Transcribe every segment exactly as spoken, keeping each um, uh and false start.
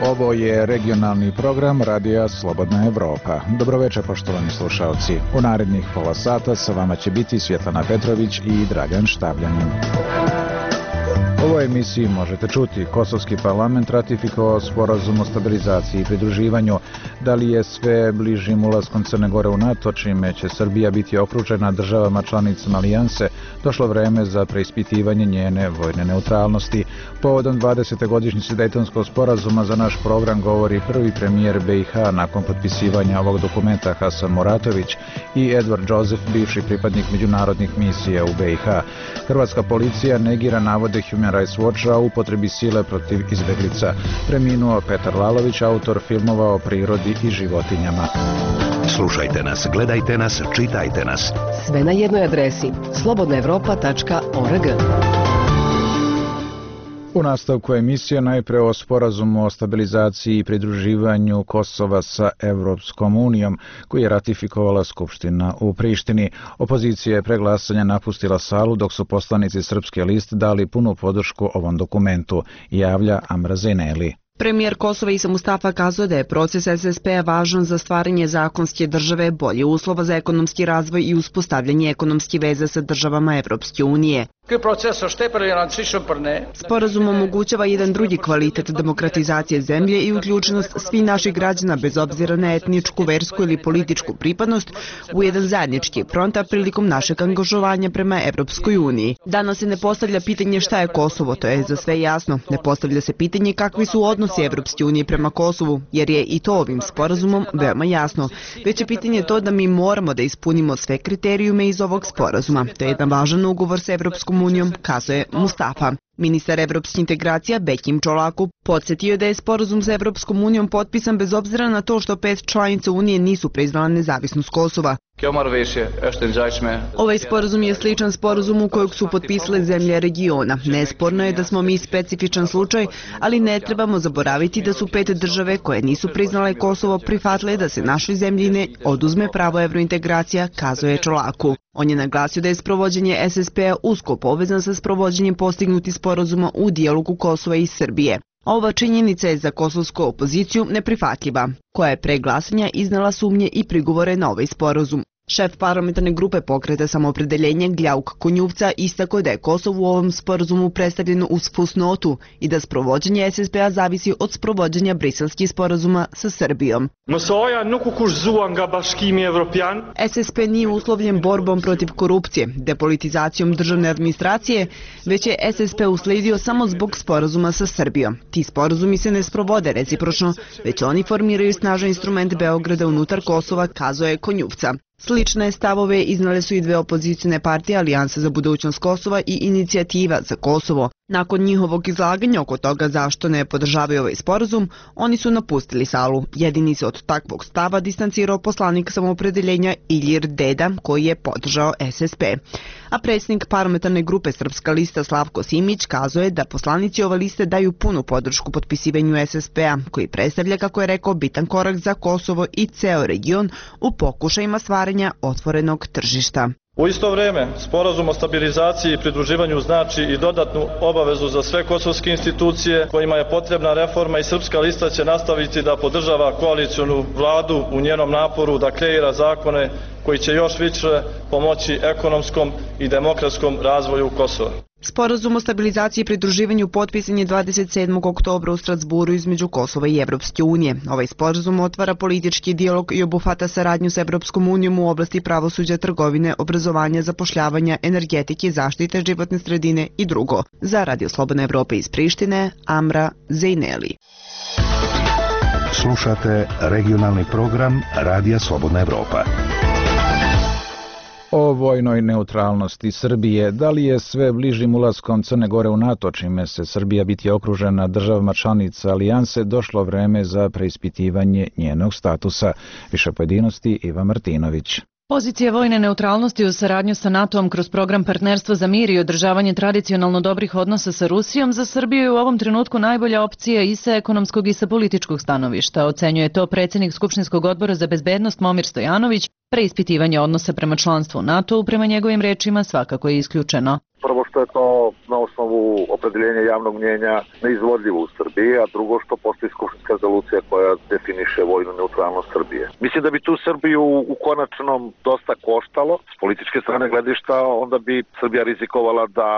Ovo je regionalni program Radija Slobodna Evropa. Dobroveče, poštovani slušalci. U narednih pola sata sa vama će biti Svjetlana Petrović i Dragan Štabljanin. U ovoj emisiji možete čuti: Kosovski parlament ratifikovao sporazum o stabilizaciji i pridruživanju. Da li je sve bližim ulaskom Crne Gore u NATO, čime će Srbija biti okružena državama članicama alijanse, došlo vreme za preispitivanje njene vojne neutralnosti. Povodom dvadesete godišnjice Dejtonskog sporazuma za naš program govori prvi premijer B i H nakon potpisivanja ovog dokumenta Hasan Muratović i Edward Joseph, bivši pripadnik međunarodnih misija u B i H. Hrvatska policija negira navode Human Rights Watcha o upotrebi sile protiv izbeglica. Preminuo Petar Lalović, autor filmova o prirodi i životinjama. Slušajte nas, gledajte nas, čitajte nas. Sve na jednoj adresi: slobodna evropa tačka org. U nastavku emisije najpre o sporazumu o stabilizaciji i pridruživanju Kosova sa Evropskom unijom, koji je ratifikovala Skupština u Prištini. Opozicija je pre glasanja napustila salu, dok su poslanici Srpske liste dali punu podršku ovom dokumentu, javlja Amra Zejneli. Premijer Kosova Isa Mustafa kazao da je proces S S P-a važan za stvaranje zakonske države, bolje uslova za ekonomski razvoj i uspostavljanje ekonomske veze sa državama Evropske unije. Sporazum omogućava jedan drugi kvalitet demokratizacije zemlje i uključenost svih naših građana bez obzira na etničku, versku ili političku pripadnost u jedan zajednički front prilikom našeg angažovanja prema Evropskoj uniji. Danas se ne postavlja pitanje šta je Kosovo, to je za sve jasno. Ne postavlja se pitanje kakvi su odnosi Evropske unije prema Kosovu, jer je i to ovim sporazumom veoma jasno. Već je pitanje to da mi moramo da ispunimo sve kriterijume iz ovog sporazuma. To je jedan važan ugovor sa Evropskom unijom, kazuje Mustafa. Ministar evropskih integracija Bekim Čolaku podsjetio je da je sporazum sa Evropskom unijom potpisan bez obzira na to što pet članica Unije nisu priznala nezavisnost Kosova. Ovaj sporazum je sličan sporazumu kojeg su potpisale zemlje regiona. Nesporno je da smo mi specifičan slučaj, ali ne trebamo zaboraviti da su pet države koje nisu priznale Kosovo prihvatile da se našoj zemlji ne oduzme pravo evrointegracija, kazuje Čolaku. On je naglasio da je sprovođenje S S P-a usko povezan sa sprovođenjem postignutih sporazuma u dijalogu Kosova i Srbije. Ova činjenica je za kosovsku opoziciju neprihvatljiva, koja je pre glasanja iznala sumnje i prigovore na ovaj sporazum. Šef parlamentarne grupe Pokreta samoopredeljenja Gljauk Konjuvca istakao da je Kosovo u ovom sporazumu predstavljeno uz fusnotu i da sprovođenje S S P-a zavisi od sprovođenja briselskih sporazuma sa Srbijom. S S P nije uslovljen borbom protiv korupcije, depolitizacijom državne administracije, već je S S P usledio samo zbog sporazuma sa Srbijom. Ti sporazumi se ne sprovode recipročno, već oni formiraju snažan instrument Beograda unutar Kosova, kazuje Konjuvca. Slične stavove iznale su i dve opozicijne partije, Alijansa za budućnost Kosova i Inicijativa za Kosovo. Nakon njihovog izlaganja oko toga zašto ne podržavaju ovaj sporazum, oni su napustili salu. Jedini se od takvog stava distancirao poslanik samoopredeljenja Ilir Deda, koji je podržao S S P. A predsjednik parlamentarne grupe Srpska lista Slavko Simić kazuje da poslanici ove liste daju punu podršku potpisivanju S S P-a, koji predstavlja, kako je rekao, bitan korak za Kosovo i ceo region u pokušajima stvaranja otvorenog tržišta. U isto vrijeme, sporazum o stabilizaciji i pridruživanju znači i dodatnu obavezu za sve kosovske institucije kojima je potrebna reforma i Srpska lista će nastaviti da podržava koalicionu vladu u njenom naporu da kreira zakone koji će još više pomoći ekonomskom i demokratskom razvoju Kosova. Sporazum o stabilizaciji i pridruživanju potpisan je dvadeset sedmog oktobra u Strasburu između Kosova i Evropske unije. Ovaj sporazum otvara politički dijalog i obuhvata saradnju sa Evropskom unijom u oblasti pravosuđa, trgovine, obrazovanja, zapošljavanja, energetike, zaštite životne sredine i drugo. Za Radio Slobodna Evropa iz Prištine, Amra Zejneli. Slušate regionalni program Radija Slobodna Evropa. O vojnoj neutralnosti Srbije, da li je sve bližim ulaskom Crne Gore u NATO, čime se Srbija biti okružena državama članica alijanse, došlo vreme za preispitivanje njenog statusa. Više pojedinosti Iva Martinović. Pozicija vojne neutralnosti u saradnju sa NATO-om kroz program Partnerstvo za mir i održavanje tradicionalno dobrih odnosa sa Rusijom za Srbiju je u ovom trenutku najbolja opcija i sa ekonomskog i sa političkog stanovišta, ocenjuje to predsjednik Skupštinskog odbora za bezbednost Momir Stojanović. Preispitivanje odnosa prema članstvu u NATO-u prema njegovim rečima svakako je isključeno. Prvo što je to na osnovu opredeljenja javnog mnjenja neizvodljivo u Srbiji, a drugo što postoji skupštinska rezolucija koja definiše vojnu neutralnost Srbije. Mislim da bi tu Srbiju u konačnom dosta koštalo. S političke strane gledišta onda bi Srbija rizikovala da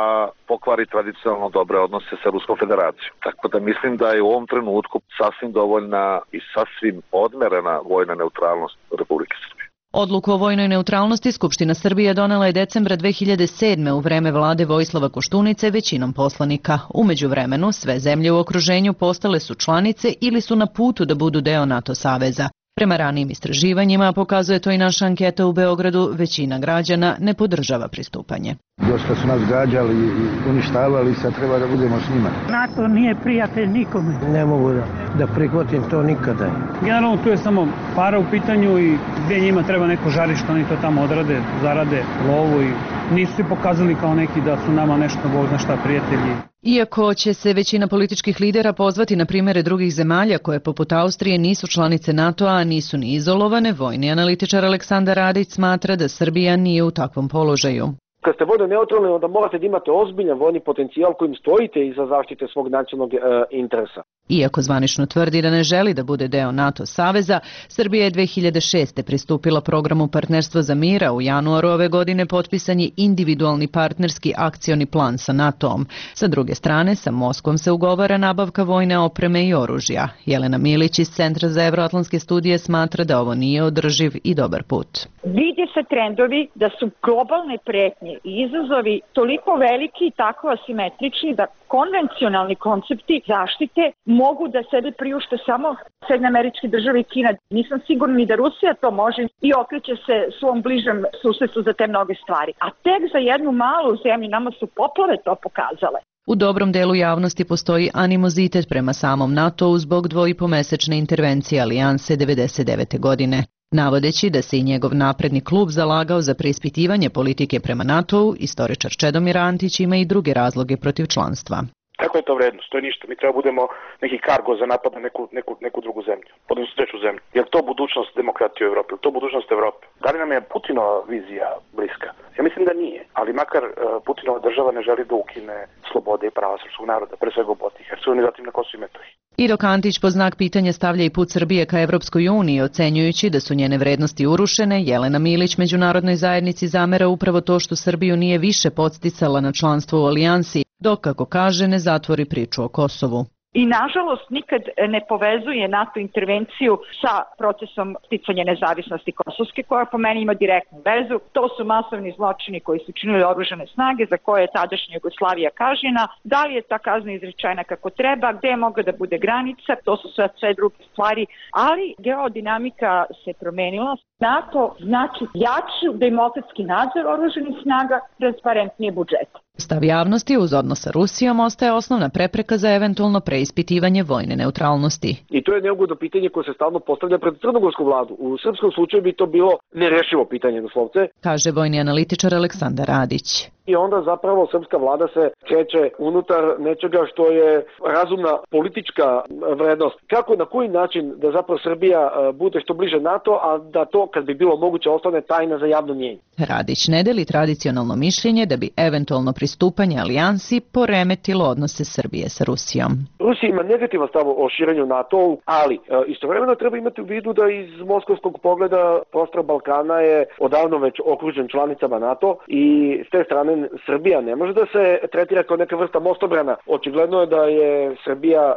pokvari tradicionalno dobre odnose sa Ruskom federacijom. Tako da mislim da je u ovom trenutku sasvim dovoljna i sasvim odmerena vojna neutralnost Republike Srbije. Odluku o vojnoj neutralnosti Skupština Srbije donela je decembra dve hiljade sedme. u vreme vlade Vojislava Koštunice većinom poslanika. U međuvremenu sve zemlje u okruženju postale su članice ili su na putu da budu deo NATO saveza. Prema ranijim istraživanjima, pokazuje to i naša anketa u Beogradu, većina građana ne podržava pristupanje. Dosta su nas gađali i uništavali, sad treba da budemo s njima. NATO nije prijatelj nikome. Ne mogu da, da prihvatim to nikada. Generalno tu je samo para u pitanju i gdje njima treba neko žarište, oni to tamo odrade, zarade lovu i nisu se pokazali kao neki da su nama nešto, Bog zna šta, prijatelji. Iako će se većina političkih lidera pozvati na primjere drugih zemalja koje poput Austrije nisu članice NATO-a, a nisu ni izolovane, vojni analitičar Aleksandar Radić smatra da Srbija nije u takvom položaju. Kad ste vojno neutralni, onda morate da imate ozbiljan vojni potencijal kojim stojite iza zaštite svog nacionalnog e, interesa. Iako zvanično tvrdi da ne želi da bude deo NATO saveza, Srbija je dve hiljade šeste. pristupila programu Partnerstvo za mir, a u januaru ove godine potpisan je individualni partnerski akcioni plan sa NATO-om. Sa druge strane, sa Moskvom se ugovara nabavka vojne opreme i oružja. Jelena Milić iz Centra za evroatlantske studije smatra da ovo nije održiv i dobar put. Vide se trendovi da su globalne pretnje i izazovi toliko veliki i tako asimetrični da konvencionalni koncepti zaštite mogu da sebe priušte samo Sjedinjene Američke Države i Kina. Nisam sigurna ni da Rusija to može i okreće se svom bližem susjedstvu za te mnoge stvari. A tek za jednu malu zemlju, nama su poplave to pokazale. U dobrom delu javnosti postoji animozitet prema samom NATO-u zbog dvoipomesečne intervencije alijanse devedeset devete. godine. Navodeći da se i njegov napredni klub zalagao za preispitivanje politike prema NATO-u, istoričar Čedomir Antić ima i druge razloge protiv članstva. Kako je to vrednost? To je ništa. Mi treba budemo neki kargo za napad na neku, neku, neku drugu zemlju, odnosno treću zemlju. Je li to budućnost demokratije u Evropi? Je li to budućnost Evrope? Da li nam je Putinova vizija bliska? Ja mislim da nije, ali makar uh, Putinova država ne želi da ukine slobode i prava srpskog naroda, pre svega u Bosni i Hercegovini, zatim na Kosovu i Metohiji. I dok Antić po znak pitanja stavlja i put Srbije ka Evropskoj uniji, ocenjujući da su njene vrednosti urušene, Jelena Milić međunarodnoj zajednici zamera upravo to što Srbiju nije više podsticala na članstvo u alijansi, dok, kako kaže, ne zatvori priču o Kosovu. I nažalost nikad ne povezuje NATO intervenciju sa procesom sticanja nezavisnosti Kosovske, koja po meni ima direktnu vezu. To su masovni zločini koji su činili oružane snage, za koje je tadašnja Jugoslavija kažnjena. Da li je ta kazna izrečena kako treba, gde je mogla da bude granica, to su sve, sve druge stvari, ali geodinamika se promenila. NATO znači jači demokratski nadzor oružanih snaga, transparentnije budžeta. Stav javnosti uz odnos sa Rusijom ostaje osnovna prepreka za eventualno preispitivanje vojne neutralnosti. I to je neugodno pitanje koje se stalno postavlja pred crnogorsku vladu. U srpskom slučaju bi to bilo nerešivo pitanje, doslovce, kaže vojni analitičar Aleksandar Radić. I onda zapravo srpska vlada se kreće unutar nečega što je razumna politička vrednost. Kako, na koji način da zapravo Srbija bude što bliže NATO, a da to, kad bi bilo moguće, ostane tajna za javno mnjenje. Radić ne deli tradicionalno mišljenje da bi eventualno pristupanje alijansi poremetilo odnose Srbije sa Rusijom. Rusija ima negativan stav o širenju NATO-u, ali e, istovremeno treba imati u vidu da iz moskovskog pogleda prostor Balkana je odavno već okružen članicama NATO i s te strane Srbija ne može da se tretira kao neka vrsta mostobrana. Očigledno je da je Srbija e,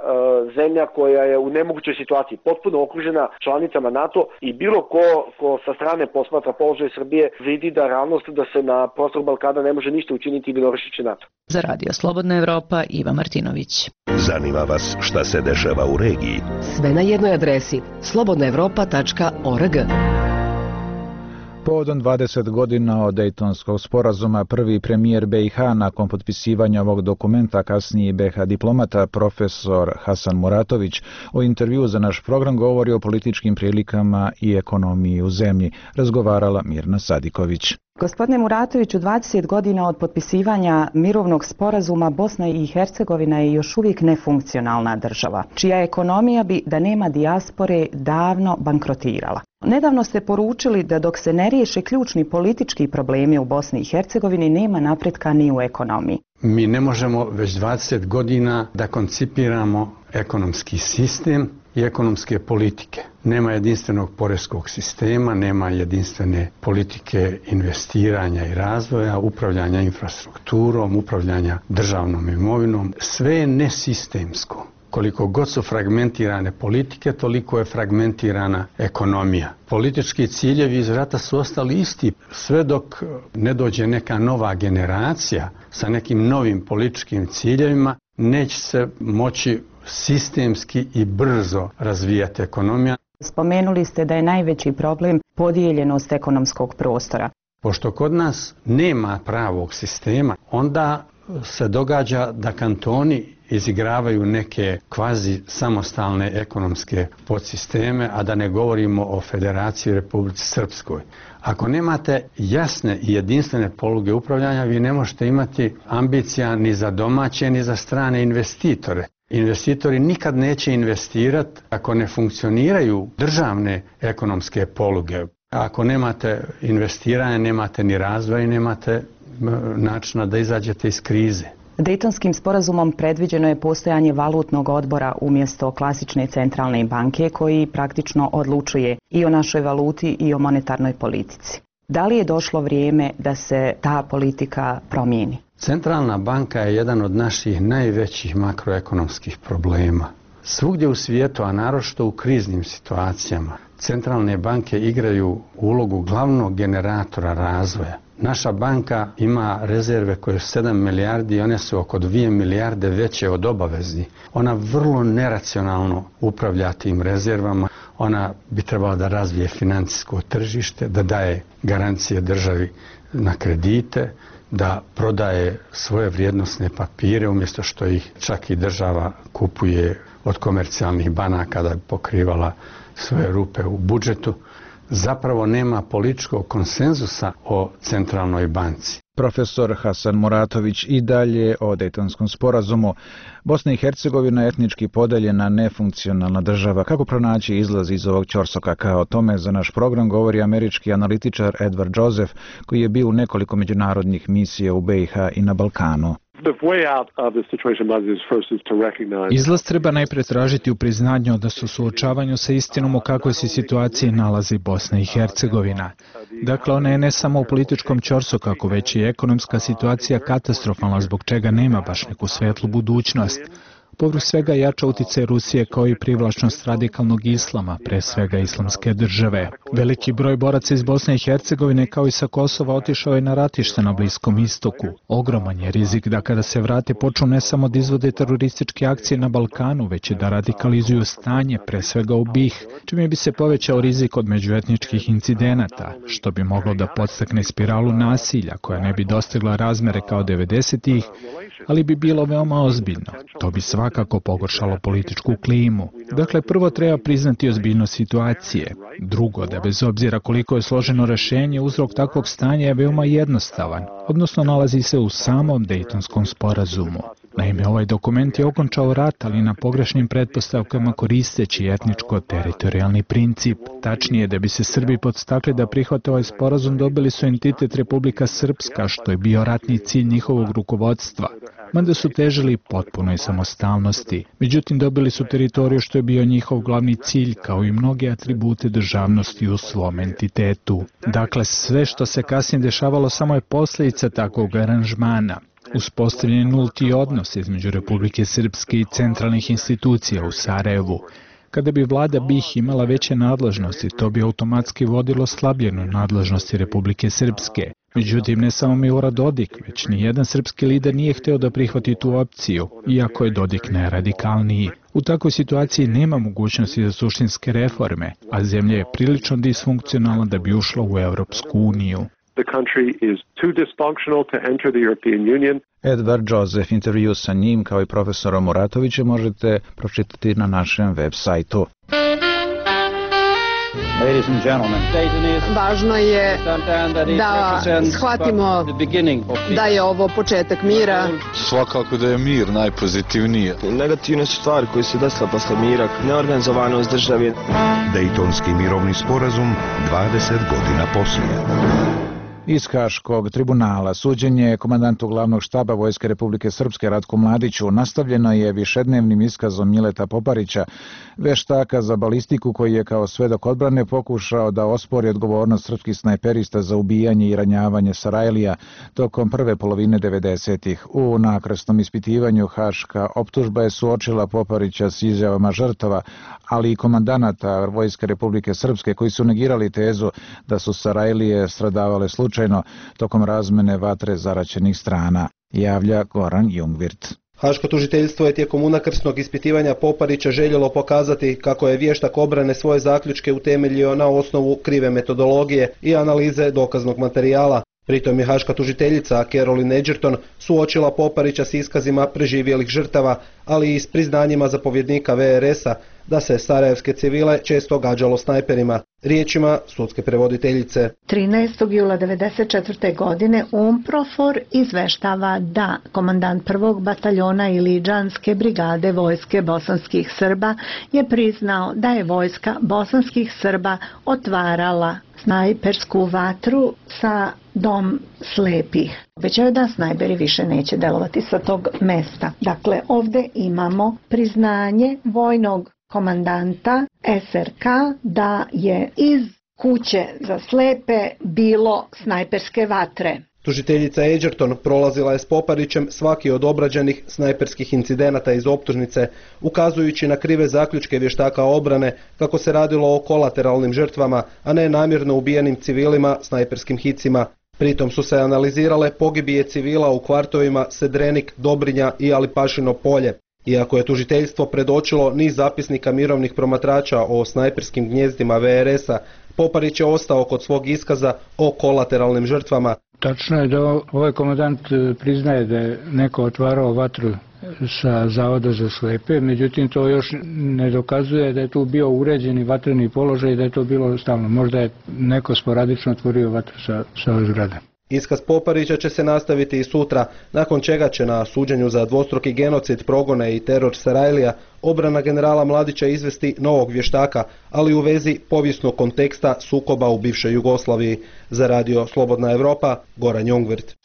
zemlja koja je u nemogućoj situaciji, potpuno okružena članicama NATO i bilo ko, ko sa strane posmatra položaj Srbije vidi da realnost da se na prostor Balkana ne može ništa učiniti i Bjelorusiji NATO. Za Radio Slobodna Evropa, Iva Martinović. Zanima vas šta se dešava u regiji? Sve na jednoj adresi slobodna evropa tačka org. Povodom dvadeset godina od Dejtonskog sporazuma, prvi premijer B i H nakon potpisivanja ovog dokumenta, kasniji B H diplomata, profesor Hasan Muratović, u intervju za naš program govori o političkim prilikama i ekonomiji u zemlji. Razgovarala Mirna Sadiković. Gospodine Muratoviću, dvadeset godina od potpisivanja mirovnog sporazuma Bosna i Hercegovina je još uvijek nefunkcionalna država, čija ekonomija bi, da nema dijaspore, davno bankrotirala. Nedavno ste poručili da dok se ne riješe ključni politički problemi u Bosni i Hercegovini, nema napretka ni u ekonomiji. Mi ne možemo već dvadeset godina da koncipiramo ekonomski sistem i ekonomske politike. Nema jedinstvenog poreskog sistema, nema jedinstvene politike investiranja i razvoja, upravljanja infrastrukturom, upravljanja državnom imovinom. Sve je nesistemsko. Koliko god su fragmentirane politike, toliko je fragmentirana ekonomija. Politički ciljevi iz rata su ostali isti, sve dok ne dođe neka nova generacija sa nekim novim političkim ciljevima, neće se moći sistemski i brzo razvijati ekonomija. Spomenuli ste da je najveći problem podijeljenost ekonomskog prostora. Pošto kod nas nema pravog sistema, onda se događa da kantoni izigravaju neke kvazi samostalne ekonomske podsisteme, a da ne govorimo o Federaciji Republici Srpskoj. Ako nemate jasne i jedinstvene poluge upravljanja, vi ne možete imati ambicija ni za domaće, ni za strane investitore. Investitori nikad neće investirati ako ne funkcioniraju državne ekonomske poluge. Ako nemate investiranja, nemate ni razvoja i nemate načina da izađete iz krize. Dejtonskim sporazumom predviđeno je postojanje valutnog odbora umjesto klasične centralne banke koji praktično odlučuje i o našoj valuti i o monetarnoj politici. Da li je došlo vrijeme da se ta politika promijeni? Centralna banka je jedan od naših najvećih makroekonomskih problema. Svugdje u svijetu, a naročito u kriznim situacijama, centralne banke igraju ulogu glavnog generatora razvoja. Naša banka ima rezerve koje su sedam milijardi i one su oko dvije milijarde veće od obavezni. Ona vrlo neracionalno upravlja tim rezervama. Ona bi trebala da razvije financijsko tržište, da daje garancije državi na kredite, da prodaje svoje vrijednosne papire umjesto što ih čak i država kupuje od komercijalnih banaka da bi pokrivala svoje rupe u budžetu. Zapravo nema političkog konsenzusa o centralnoj banci. Profesor Hasan Muratović i dalje o Dejtonskom sporazumu. Bosna i Hercegovina je etnički podeljena, nefunkcionalna država. Kako pronaći izlaz iz ovog ćorsoka? Kao o tome za naš program govori američki analitičar Edward Joseph, koji je bio u nekoliko međunarodnih misija u B i H i na Balkanu. Izlaz treba najprije tražiti u priznanju da su suočavanju sa istinom u kakvoj se situaciji nalazi Bosna i Hercegovina. Dakle, ona je ne samo u političkom ćorsokaku, već i ekonomska situacija katastrofalna, zbog čega nema baš neku svetlu budućnost. Povrh svega jača uticaj Rusije kao i privlačnost radikalnog islama, pre svega islamske države. Veliki broj boraca iz Bosne i Hercegovine kao i sa Kosova otišao je na ratište na Bliskom istoku. Ogroman je rizik da kada se vrate počnu ne samo da izvode terorističke akcije na Balkanu, već i da radikalizuju stanje, pre svega u B i H, čime bi se povećao rizik od međuetničkih incidenata, što bi moglo da podstakne spiralu nasilja koja ne bi dostigla razmere kao devedesetih, ali bi bilo veoma ozbiljno. To bi svakako pogoršalo političku klimu. Dakle, prvo treba priznati ozbiljnost situacije. Drugo, da bez obzira koliko je složeno rešenje, uzrok takvog stanja je veoma jednostavan, odnosno nalazi se u samom Dejtonskom sporazumu. Naime, ovaj dokument je okončao rat, ali na pogrešnim pretpostavkama koristeći etničko-teritorijalni princip. Tačnije, da bi se Srbi podstakli da prihvate ovaj sporazum, dobili su entitet Republika Srpska, što je bio ratni cilj njihovog rukovodstva, mada su težili potpunoj samostalnosti. Međutim, dobili su teritoriju što je bio njihov glavni cilj, kao i mnoge atribute državnosti u svom entitetu. Dakle, sve što se kasnije dešavalo samo je posljedica takvog aranžmana. Uspostavljen je nulti odnos između Republike Srpske i centralnih institucija u Sarajevu. Kada bi vlada B i H imala veće nadležnosti, to bi automatski vodilo slabljenu nadležnosti Republike Srpske. Međutim, ne samo Milorad Dodik, već ni jedan srpski lider nije hteo da prihvati tu opciju, iako je Dodik najradikalniji. U takvoj situaciji nema mogućnosti za suštinske reforme, a zemlja je prilično disfunkcionalna da bi ušla u Europsku uniju. Edward Joseph, intervju sa njim kao i profesorom Muratovićem možete pročitati na našem web sajtu. Važno je da shvatimo da je ovo početak mira. Svakako da je mir najpozitivnije. Negativne su stvari koje se desila posle mira, neorganizovanost države. Dejtonski mirovni sporazum dvadeset godina poslije. Iz Haškog tribunala suđenje komandantu glavnog štaba Vojske Republike Srpske Ratku Mladiću nastavljeno je višednevnim iskazom Mileta Poparića, veštaka za balistiku koji je kao svedok odbrane pokušao da ospori odgovornost srpskih snajperista za ubijanje i ranjavanje Sarajlija tokom prve polovine devedesetih. U nakrasnom ispitivanju haška optužba je suočila Poparića s izjavama žrtava, ali i komandanata Vojske Republike Srpske koji su negirali tezu da su Sarajlije stradavale slučajno tokom razmene vatre zaraćenih strana, javlja Goran Jungwirth. Haško tužiteljstvo je tijekom unakrsnog ispitivanja Poparića željelo pokazati kako je vještak obrane svoje zaključke utemeljio na osnovu krive metodologije i analize dokaznog materijala. Pritom je haška tužiteljica Caroline Edgerton suočila Poparića s iskazima preživjelih žrtava, ali i s priznanjima zapovjednika V R S-a da se sarajevske civile često gađalo snajperima. Riječima sudske prevoditeljice. trinaestog jula devedeset četvrte. godine UNPROFOR izveštava da komandant prvog bataljona Iliđanske brigade vojske bosanskih Srba je priznao da je vojska bosanskih Srba otvarala snajpersku vatru sa Dom slepih. Obećaju da snajperi više neće delovati sa tog mesta. Dakle, ovdje imamo priznanje vojnog komandanta S R K da je iz kuće za slepe bilo snajperske vatre. Tužiteljica Edgerton prolazila je s Poparićem svaki od obrađenih snajperskih incidenata iz optužnice, ukazujući na krive zaključke vještaka obrane kako se radilo o kolateralnim žrtvama, a ne namjerno ubijenim civilima snajperskim hicima. Pritom su se analizirale pogibije civila u kvartovima Sedrenik, Dobrinja i Alipašino polje. Iako je tužiteljstvo predočilo niz zapisnika mirovnih promatrača o snajperskim gnjezdima V R S-a, Poparić je ostao kod svog iskaza o kolateralnim žrtvama. Tačno je da ovaj komandant priznaje da je neko otvarao vatru sa Zavoda za slepe, međutim to još ne dokazuje da je tu bio uređeni vatreni položaj i da je to bilo stalno. Možda je neko sporadično otvorio vatru sa, sa ove zgrade. Iskaz Poparića će se nastaviti i sutra, nakon čega će na suđenju za dvostruki genocid, progone i teror Sarajlija obrana generala Mladića izvesti novog vještaka, ali u vezi povijesnog konteksta sukoba u bivšoj Jugoslaviji. Za radio Slobodna Evropa, Goran Jungwirth.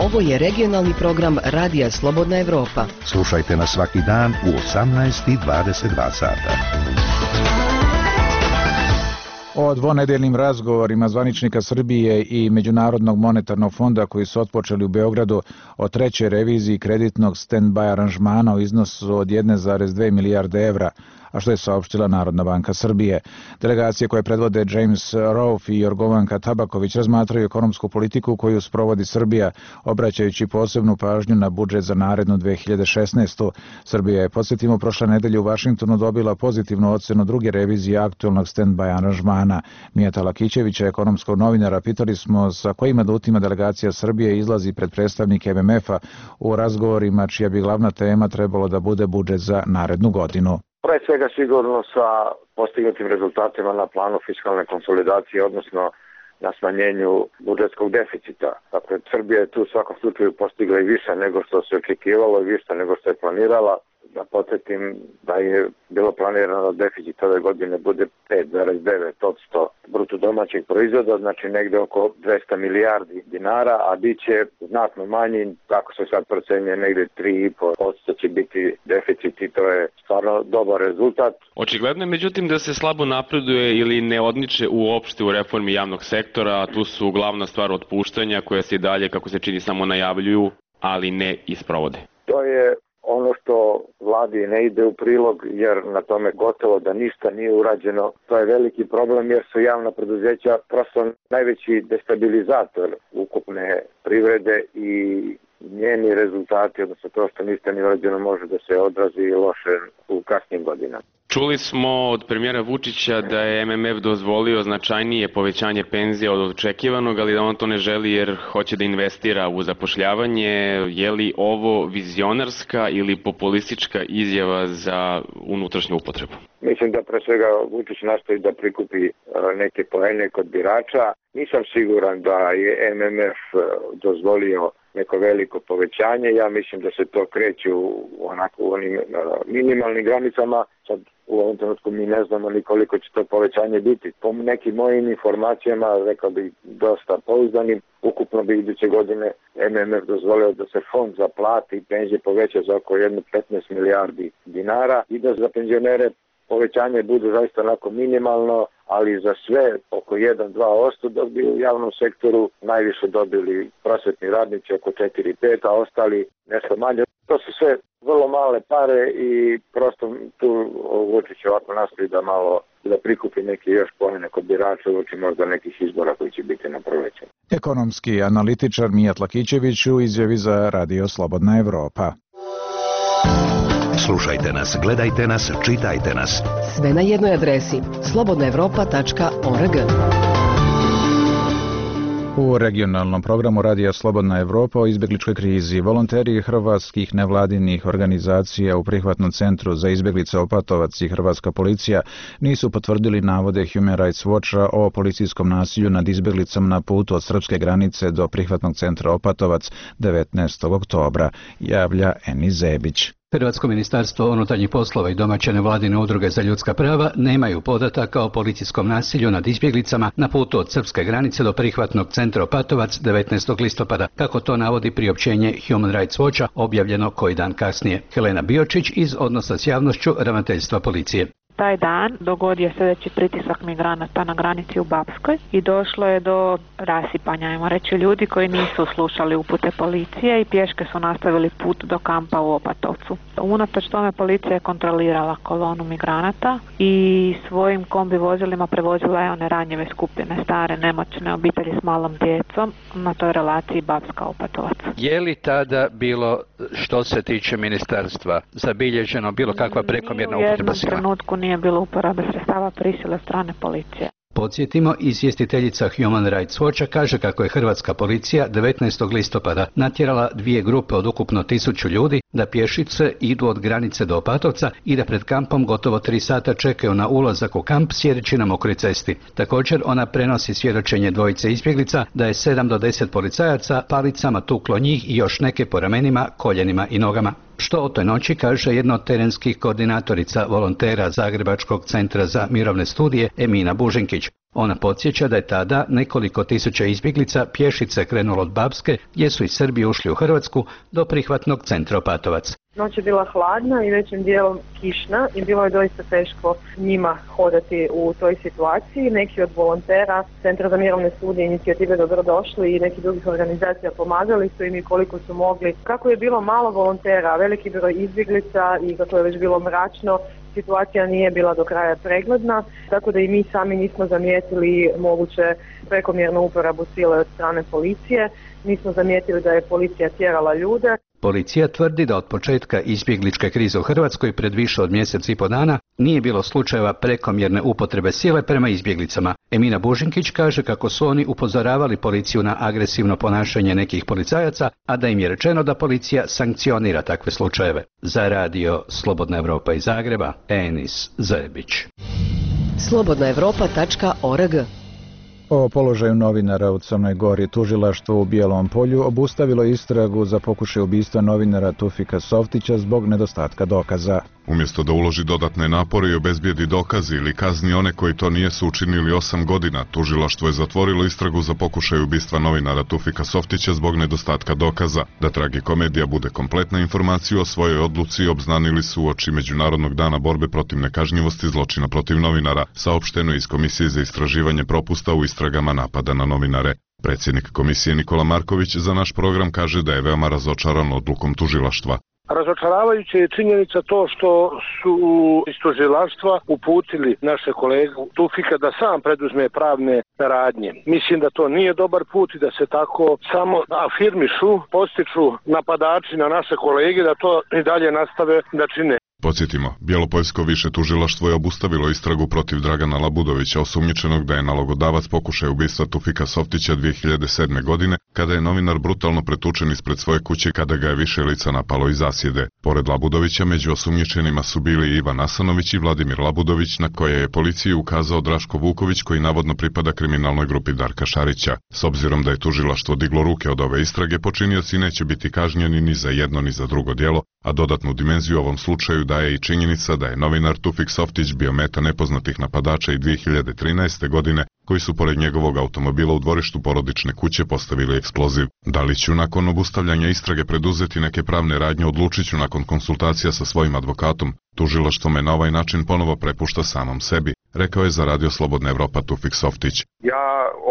Ovo je regionalni program Radija Slobodna Evropa. Slušajte nas svaki dan u osamnaest i dvadeset dva sata. O dvonedeljnim razgovorima zvaničnika Srbije i Međunarodnog monetarnog fonda koji su otpočeli u Beogradu o trećoj reviziji kreditnog stand-by aranžmana u iznosu od jedne zarez dve milijarde evra, a što je saopštila Narodna banka Srbije. Delegacije koje predvode James Rolfe i Jorgovanka Tabaković razmatraju ekonomsku politiku koju sprovodi Srbija, obraćajući posebnu pažnju na budžet za narednu dve hiljade šesnaestu. Srbija je, podsjetimo, prošle nedelje u Vašingtonu dobila pozitivnu ocenu druge revizije aktualnog stand-by aranžmana. Mijata Lakićevića, ekonomskog novinara, pitali smo sa kojim adutima delegacija Srbije izlazi pred predstavnike M M F-a u razgovorima čija bi glavna tema trebalo da bude budžet za narednu godinu. Pre svega sigurno sa postignutim rezultatima na planu fiskalne konsolidacije, odnosno na smanjenju budžetskog deficita. Dakle, Srbija je tu u svakom slučaju postigla i više nego što se očekivalo i više nego što je planirala. Da podsjetim da je bilo planirano da deficit ove godine bude pet zarez devet posto bruto domaćeg proizvoda, znači negde oko dvesta milijardi dinara, a bit će znatno manji, kako se sad procenjuje, negde tri i po posto će biti deficit i to je stvarno dobar rezultat. Očigledno je međutim da se slabo napreduje ili ne odniče uopšte u reformi javnog sektora, a tu su glavna stvar otpuštanja koja se i dalje, kako se čini, samo najavljuju, ali ne isprovode. To je ono što vladi ne ide u prilog, jer na tome gotovo da ništa nije urađeno. To je veliki problem jer su javna preduzeća prosto najveći destabilizator ukupne privrede i njeni rezultati, odnosno to što niste ni urađeno, može da se odrazi loše u kasnim godinama. Čuli smo od premijera Vučića da je M M F dozvolio značajnije povećanje penzija od očekivanog, ali da on to ne želi jer hoće da investira u zapošljavanje. Je li ovo vizionarska ili populistička izjava za unutrašnju upotrebu? Mislim da pre svega Vučić nastoji da prikupi neke poene kod birača. Nisam siguran da je M M F dozvolio neko veliko povećanje. Ja mislim da se to kreće u onako u onim minimalnim granicama. Sad u ovom trenutku mi ne znamo ni koliko će to povećanje biti. Po nekim mojim informacijama, rekao bih dosta pouzdanim, ukupno bi iduće godine M M F dozvolio da se fond za plate i penzije poveća za oko jedno petnaest milijardi dinara i da za penzionere povećanje bude zaista onako minimalno, ali za sve oko jedan do dva posto dok bi u javnom sektoru najviše dobili prosvetni radnici oko četiri do pet, a ostali nešto manje. To su sve vrlo male pare i prosto tu Vučić ovako nastoji da malo da prikupi neke još poene kod birača uoči možda nekih izbora koji će biti na proleće. Ekonomski analitičar Mijat Lakićević u izjavi za Radio Slobodna Evropa. Slušajte nas, gledajte nas, čitajte nas. Sve na jednoj adresi slobodna evropa tačka org. U regionalnom programu Radija Slobodna Evropa o izbjegličkoj krizi volonteri hrvatskih nevladinih organizacija u prihvatnom centru za izbjeglice Opatovac i hrvatska policija nisu potvrdili navode Human Rights Watcha o policijskom nasilju nad izbjeglicom na putu od srpske granice do prihvatnog centra Opatovac devetnaestog oktobra, javlja Eni Zebić. Hrvatsko ministarstvo unutarnjih poslova i domaće nevladine udruge za ljudska prava nemaju podataka o policijskom nasilju nad izbjeglicama na putu od srpske granice do prihvatnog centra Opatovac devetnaestog listopada, kako to navodi priopćenje Human Rights Watcha objavljeno koji dan kasnije. Helena Biočić iz Odnosa s javnošću ravnateljstva policije. Taj dan dogodio sljedeći pritisak migranata na granici u Bapskoj i došlo je do rasipanja, ajmo reći, ljudi koji nisu slušali upute policije i pješke su nastavili put do kampa u Opatovcu. Unatoč tome policija je kontrolirala kolonu migranata i svojim kombi vozilima prevozila je one ranjive skupine, stare, nemoćne obitelji s malom djecom na toj relaciji Bapska-Opatovac. Je li tada bilo, što se tiče ministarstva, zabilježeno bilo kakva prekomjerna upotreba sile? U jednom trenutku nije bilo uporabe sredstava prisile strane policije. Podsjetimo, izvjestiteljica Human Rights Watcha kaže kako je hrvatska policija devetnaestog listopada natjerala dvije grupe od ukupno tisuću ljudi da pješice idu od granice do Opatovca i da pred kampom gotovo tri sata čekaju na ulazak u kamp sjedeći na mokroj cesti. Također ona prenosi svjedočenje dvojice izbjeglica da je sedam do deset policajaca palicama tuklo njih i još neke po ramenima, koljenima i nogama. Što o toj noći kaže jedna od terenskih koordinatorica volontera Zagrebačkog centra za mirovne studije Emina Bužinkić. Ona podsjeća da je tada nekoliko tisuća izbjeglica pješice krenulo od Bapske, gdje su iz Srbije ušli u Hrvatsku, do prihvatnog centra Opatovac. Noć je bila hladna i većim dijelom kišna i bilo je doista teško njima hodati u toj situaciji. Neki od volontera Centra za mirovne studije, inicijative Dobrodošli i nekih drugih organizacija pomagali su im i koliko su mogli. Kako je bilo malo volontera, veliki broj izbjeglica i kako je već bilo mračno, situacija nije bila do kraja pregledna, tako da i mi sami nismo zamijetili moguće prekomjernu uporabu sile od strane policije. Nismo zamijetili da je policija tjerala ljude. Policija tvrdi da od početka izbjegličke krize u Hrvatskoj pred više od mjesec i po dana nije bilo slučajeva prekomjerne upotrebe sile prema izbjeglicama. Emina Bužinkić kaže kako su oni upozoravali policiju na agresivno ponašanje nekih policajaca, a da im je rečeno da policija sankcionira takve slučajeve. Za Radio Slobodna Evropa iz Zagreba, Enis Zebić. slobodna evropa tačka org. O položaju novinara u Crnoj Gori tužilaštvo u Bijelom Polju obustavilo istragu za pokušaj ubistva novinara Tufika Softića zbog nedostatka dokaza. Umjesto da uloži dodatne napore i obezbijedi dokazi ili kazni one koji to nijesu učinili osam godina, tužilaštvo je zatvorilo istragu za pokušaj ubistva novinara Tufika Softića zbog nedostatka dokaza. Da tragikomedija bude kompletna, informaciju o svojoj odluci obznanili su uoči Međunarodnog dana borbe protiv nekažnjivosti zločina protiv novinara, saopšteno iz Komisije za istraživanje propusta u istragama napada na novinare. Predsjednik komisije Nikola Marković za naš program kaže da je veoma razočaran odlukom tužilaštva. Razočaravajuće je činjenica to što su iz tužilaštva uputili naše kolegu Tufika da sam preduzme pravne radnje. Mislim da to nije dobar put i da se tako samo afirmišu, postiču napadači na naše kolege, da to i dalje nastave da čine. Podsjetimo, Bjelopoljsko više tužilaštvo je obustavilo istragu protiv Dragana Labudovića, osumnjičenog da je nalogodavac pokušaja ubistva Tufika Softića dvije hiljade sedme. godine, kada je novinar brutalno pretučen ispred svoje kuće kada ga je više lica napalo iz zasjede. Pored Labudovića, među osumnjičenima su bili Ivan Asanović i Vladimir Labudović, na koje je policiji ukazao Draško Vuković, koji navodno pripada kriminalnoj grupi Darka Šarića. S obzirom da je tužilaštvo diglo ruke od ove istrage, počinioci neće biti kažnjeni ni za jedno ni za drugo djelo, a dodatnu dimenziju ovom slučaju daje i činjenica da je novinar Tufik Softić bio meta nepoznatih napadača i dvije hiljade trinaeste. godine, koji su pored njegovog automobila u dvorištu porodične kuće postavili eksploziv. Da li ću nakon obustavljanja istrage preduzeti neke pravne radnje, odlučit ću nakon konsultacija sa svojim advokatom. Tužilaštvo me na ovaj način ponovo prepušta samom sebi, rekao je za Radio Slobodna Evropa Tufik Softić. Ja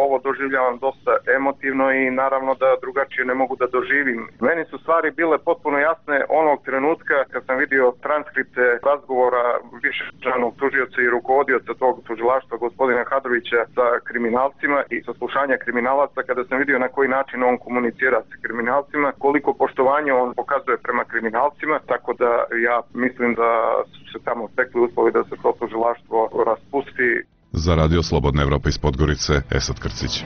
ovo doživljavam dosta emotivno i naravno da drugačije ne mogu da doživim. Meni su stvari bile potpuno jasne onog trenutka kad sam vidio transkripte razgovora višečlanog tužioca i rukovodioca tog tužilaštva gospodina Hadrovića sa kriminalcima i saslušanja kriminalaca, kada sam vidio na koji način on komunicira sa kriminalcima, koliko poštovanja on pokazuje prema kriminalcima, tako da ja mislim da su se tamo stekli uslovi da se to tužilaštvo raspusti. Za Radio Slobodna Evropa iz Podgorice, Esad Krcić.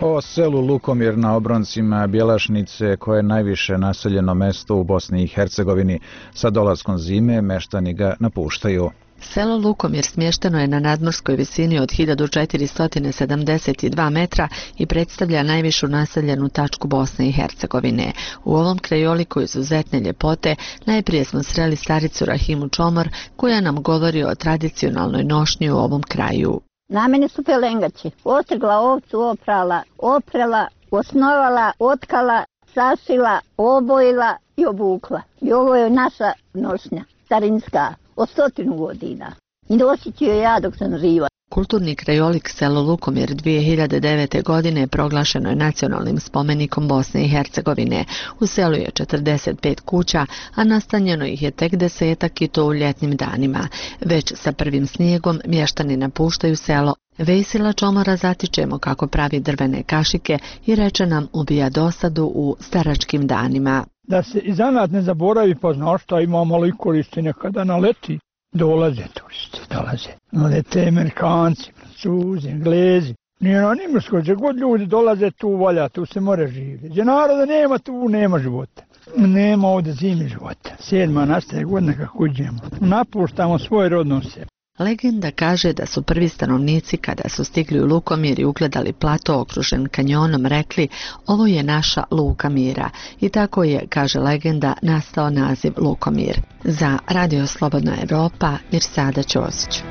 O selu Lukomir na obroncima Bjelašnice, koje je najviše naseljeno mesto u Bosni i Hercegovini, sa dolaskom zime meštani ga napuštaju. Selo Lukomir smješteno je na nadmorskoj visini od hiljadu četiristo sedamdeset dva metra i predstavlja najvišu naseljenu tačku Bosne i Hercegovine. U ovom krajoliku izuzetne ljepote najprije smo sreli staricu Rahimu Čomor, koja nam govori o tradicionalnoj nošnji u ovom kraju. Na mene su pelengači. Ostrgla ovcu, oprala, oprela, osnovala, otkala, sašila, obojila i obukla. I ovo je naša nošnja, starinska, od stotinu godina. I nosit ću je ja dok sam živa. Kulturni krajolik selo Lukomir dvije hiljade devete. godine proglašeno je nacionalnim spomenikom Bosne i Hercegovine. U selu je četrdeset pet kuća, a nastanjeno ih je tek desetak i to u ljetnim danima. Već sa prvim snijegom mještani napuštaju selo. Vesila Čomora zatičemo kako pravi drvene kašike i reče nam ubija dosadu u staračkim danima. Da se i zanat ne zaboravi, pa znaš šta ima malo i koristi, nekada naleti. Dolaze turisti, dolaze. Lete Amerikanci, Francuzi, Englezi. Nije na Nimrskoj, gdje god ljudi dolaze, tu valja, tu se more živjeti. Gdje naroda nema, tu nema života. Nema ovdje zimi života. Sedma nastaje godina kako uđemo. Napuštamo svoj rodno sebe. Legenda kaže da su prvi stanovnici kada su stigli u Lukomir i ugledali plato okružen kanjonom rekli ovo je naša Luka mira. I tako je, kaže legenda, nastao naziv Lukomir. Za Radio Slobodna Evropa, Mirsada Ćosić.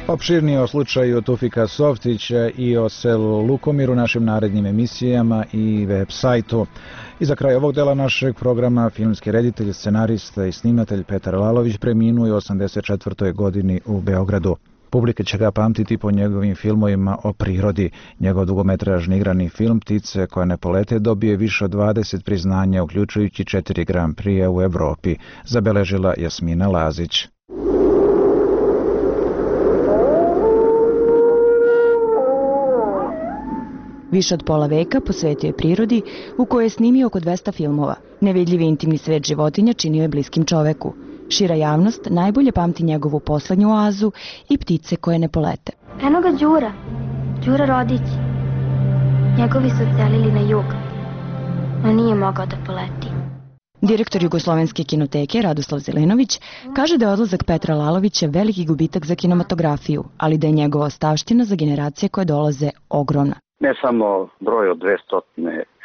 Opširnije o slučaju Tufika Softića i o selu Lukomir u našim narednim emisijama i web sajtu. I za kraj ovog dela našeg programa filmski reditelj, scenarista i snimatelj Petar Lalović preminuo je u osamdeset četvrtoj. godini u Beogradu. Publika će ga pamtiti po njegovim filmovima o prirodi. Njegov dugometražni igrani film Ptice koje ne polete dobije više od dvadeset priznanja, uključujući četiri Grand Prix u Evropi, zabeležila Jasmina Lazić. Više od pola veka posvetio je prirodi, u kojoj je snimio oko dvesta filmova. Nevidljivi intimni svet životinja činio je bliskim čoveku. Šira javnost najbolje pamti njegovu poslednju oazu i Ptice koje ne polete. Eno ga Đura, Đura Rodić. Njegovi su odselili na jug, no nije mogao da poleti. Direktor Jugoslovenske kinoteke Radoslav Zelenović kaže da je odlazak Petra Lalovića veliki gubitak za kinematografiju, ali da je njegova ostavština za generacije koje dolaze ogromna. Ne samo broj od dvesta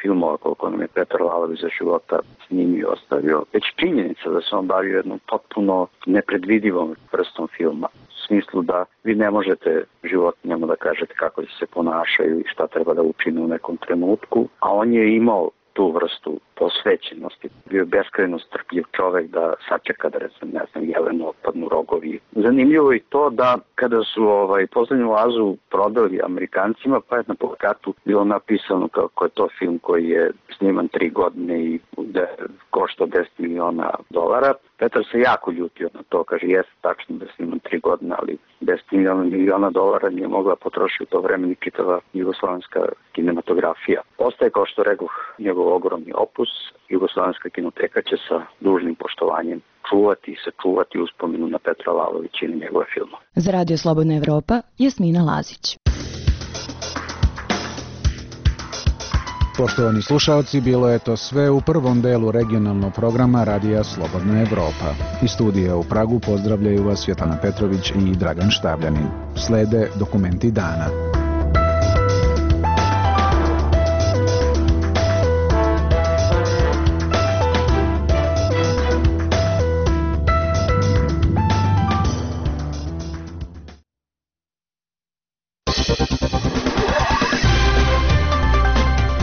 filmova koliko nam je Petar Lalović za života snimio ostavio, već činjenica da se on bavio jednom potpuno nepredvidivom vrstom filma. U smislu da vi ne možete životinjama da kažete kako se ponašaju i šta treba da učine u nekom trenutku, a on je imao tu vrstu posvećenosti. Bio je beskrajno strpljiv čovek da sačeka da recimo, ne znam, Jelenu otpadnu rogovi. Zanimljivo je to da kada su ovaj, poslednju Lazu prodali Amerikancima, pa je na plakatu bilo napisano kako je to film koji je sniman tri godine i da košta deset miliona dolara. Petar se jako ljutio na to, kaže, jeste tačno da je sniman tri godine, ali deset miliona dolara nije mogla potrošiti u to vreme ni čitava jugoslovenska kinematografija. Ostaje, kao što rekoh, njegov ogromni opus. Jugoslovenska kinoteka će sa dužnim poštovanjem čuvati i sačuvati uspomenu na Petra Lalovića i na njegove filmove. Za Radio Slobodna Evropa, Jasmina Lazić. Poštovani slušalci, bilo je to sve u prvom delu regionalnog programa Radija Slobodna Evropa. Iz studija u Pragu pozdravljaju vas Svjetlana Petrović i Dragan Štabljanin. Slede dokumenti dana.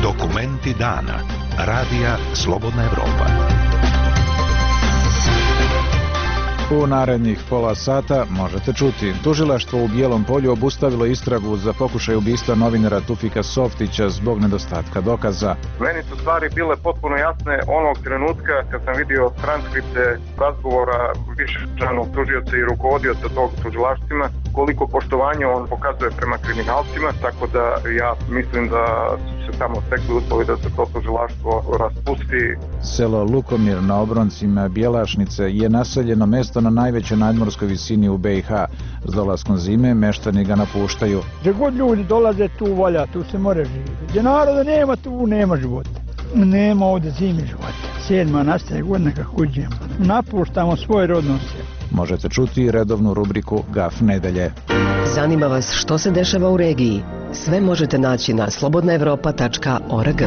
Dokumenti dana. Radija Slobodna Evropa. U narednih pola sata možete čuti. Tužilaštvo u Bijelom Polju obustavilo istragu za pokušaj ubistva novinara Tufika Softića zbog nedostatka dokaza. Meni su stvari bile potpuno jasne onog trenutka kad sam vidio transkripte razgovora višečlanog tužioca i rukovodioca tog tužilaštvima, koliko poštovanja on pokazuje prema kriminalcima, tako da ja mislim da su se tamo stekli uslovi da se to tužilaštvo raspusti. Selo Lukomir na obroncima Bjelašnice je naseljeno mesto na najvećoj nadmorskoj visini u be i ha. S dolaskom zime meštani ga napuštaju. Gdje god ljudi dolaze, tu valja, tu se more živjeti. Gdje naroda nema, tu nema života. Nema ovdje zimi života. Sedma nastaje godina kako uđemo. Napuštamo svoj rodno selo. Možete čuti redovnu rubriku Gaf nedelje. Zanima vas što se dešava u regiji? Sve možete naći na slobodna evropa tačka org.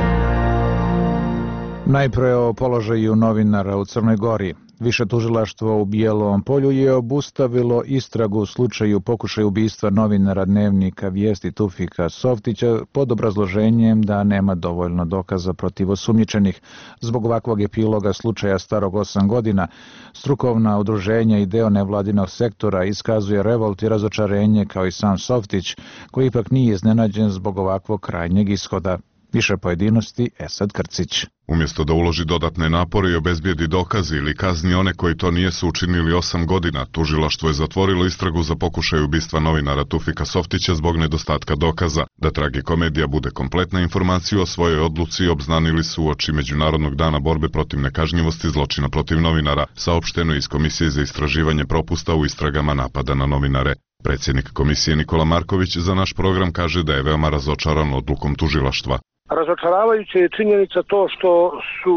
Najpre o položaju novinara u Crnoj Gori. Više tužilaštvo u Bijelom Polju je obustavilo istragu u slučaju pokušaja ubistva novinara dnevnika Vijesti Tufika Softića pod obrazloženjem da nema dovoljno dokaza protiv osumnjičenih. Zbog ovakvog epiloga slučaja starog osam godina, strukovna udruženja i deo nevladinog sektora iskazuje revolt i razočarenje kao i sam Softić, koji ipak nije iznenađen zbog ovakvog krajnjeg ishoda. Više pojedinosti Esad Krcić. Umjesto da uloži dodatne napore i obezbijedi dokaze ili kazni one koji to nijesu učinili osam godina, tužilaštvo je zatvorilo istragu za pokušaj ubistva novinara Tufika Softića zbog nedostatka dokaza. Da tragikomedija bude kompletna, informaciju o svojoj odluci obznanili su uoči Međunarodnog dana borbe protiv nekažnjivosti zločina protiv novinara, saopšteno iz Komisije za istraživanje propusta u istragama napada na novinare. Predsjednik komisije Nikola Marković za naš program kaže da je veoma razočaran odlukom tužilaštva. Razočaravajuće je činjenica to što su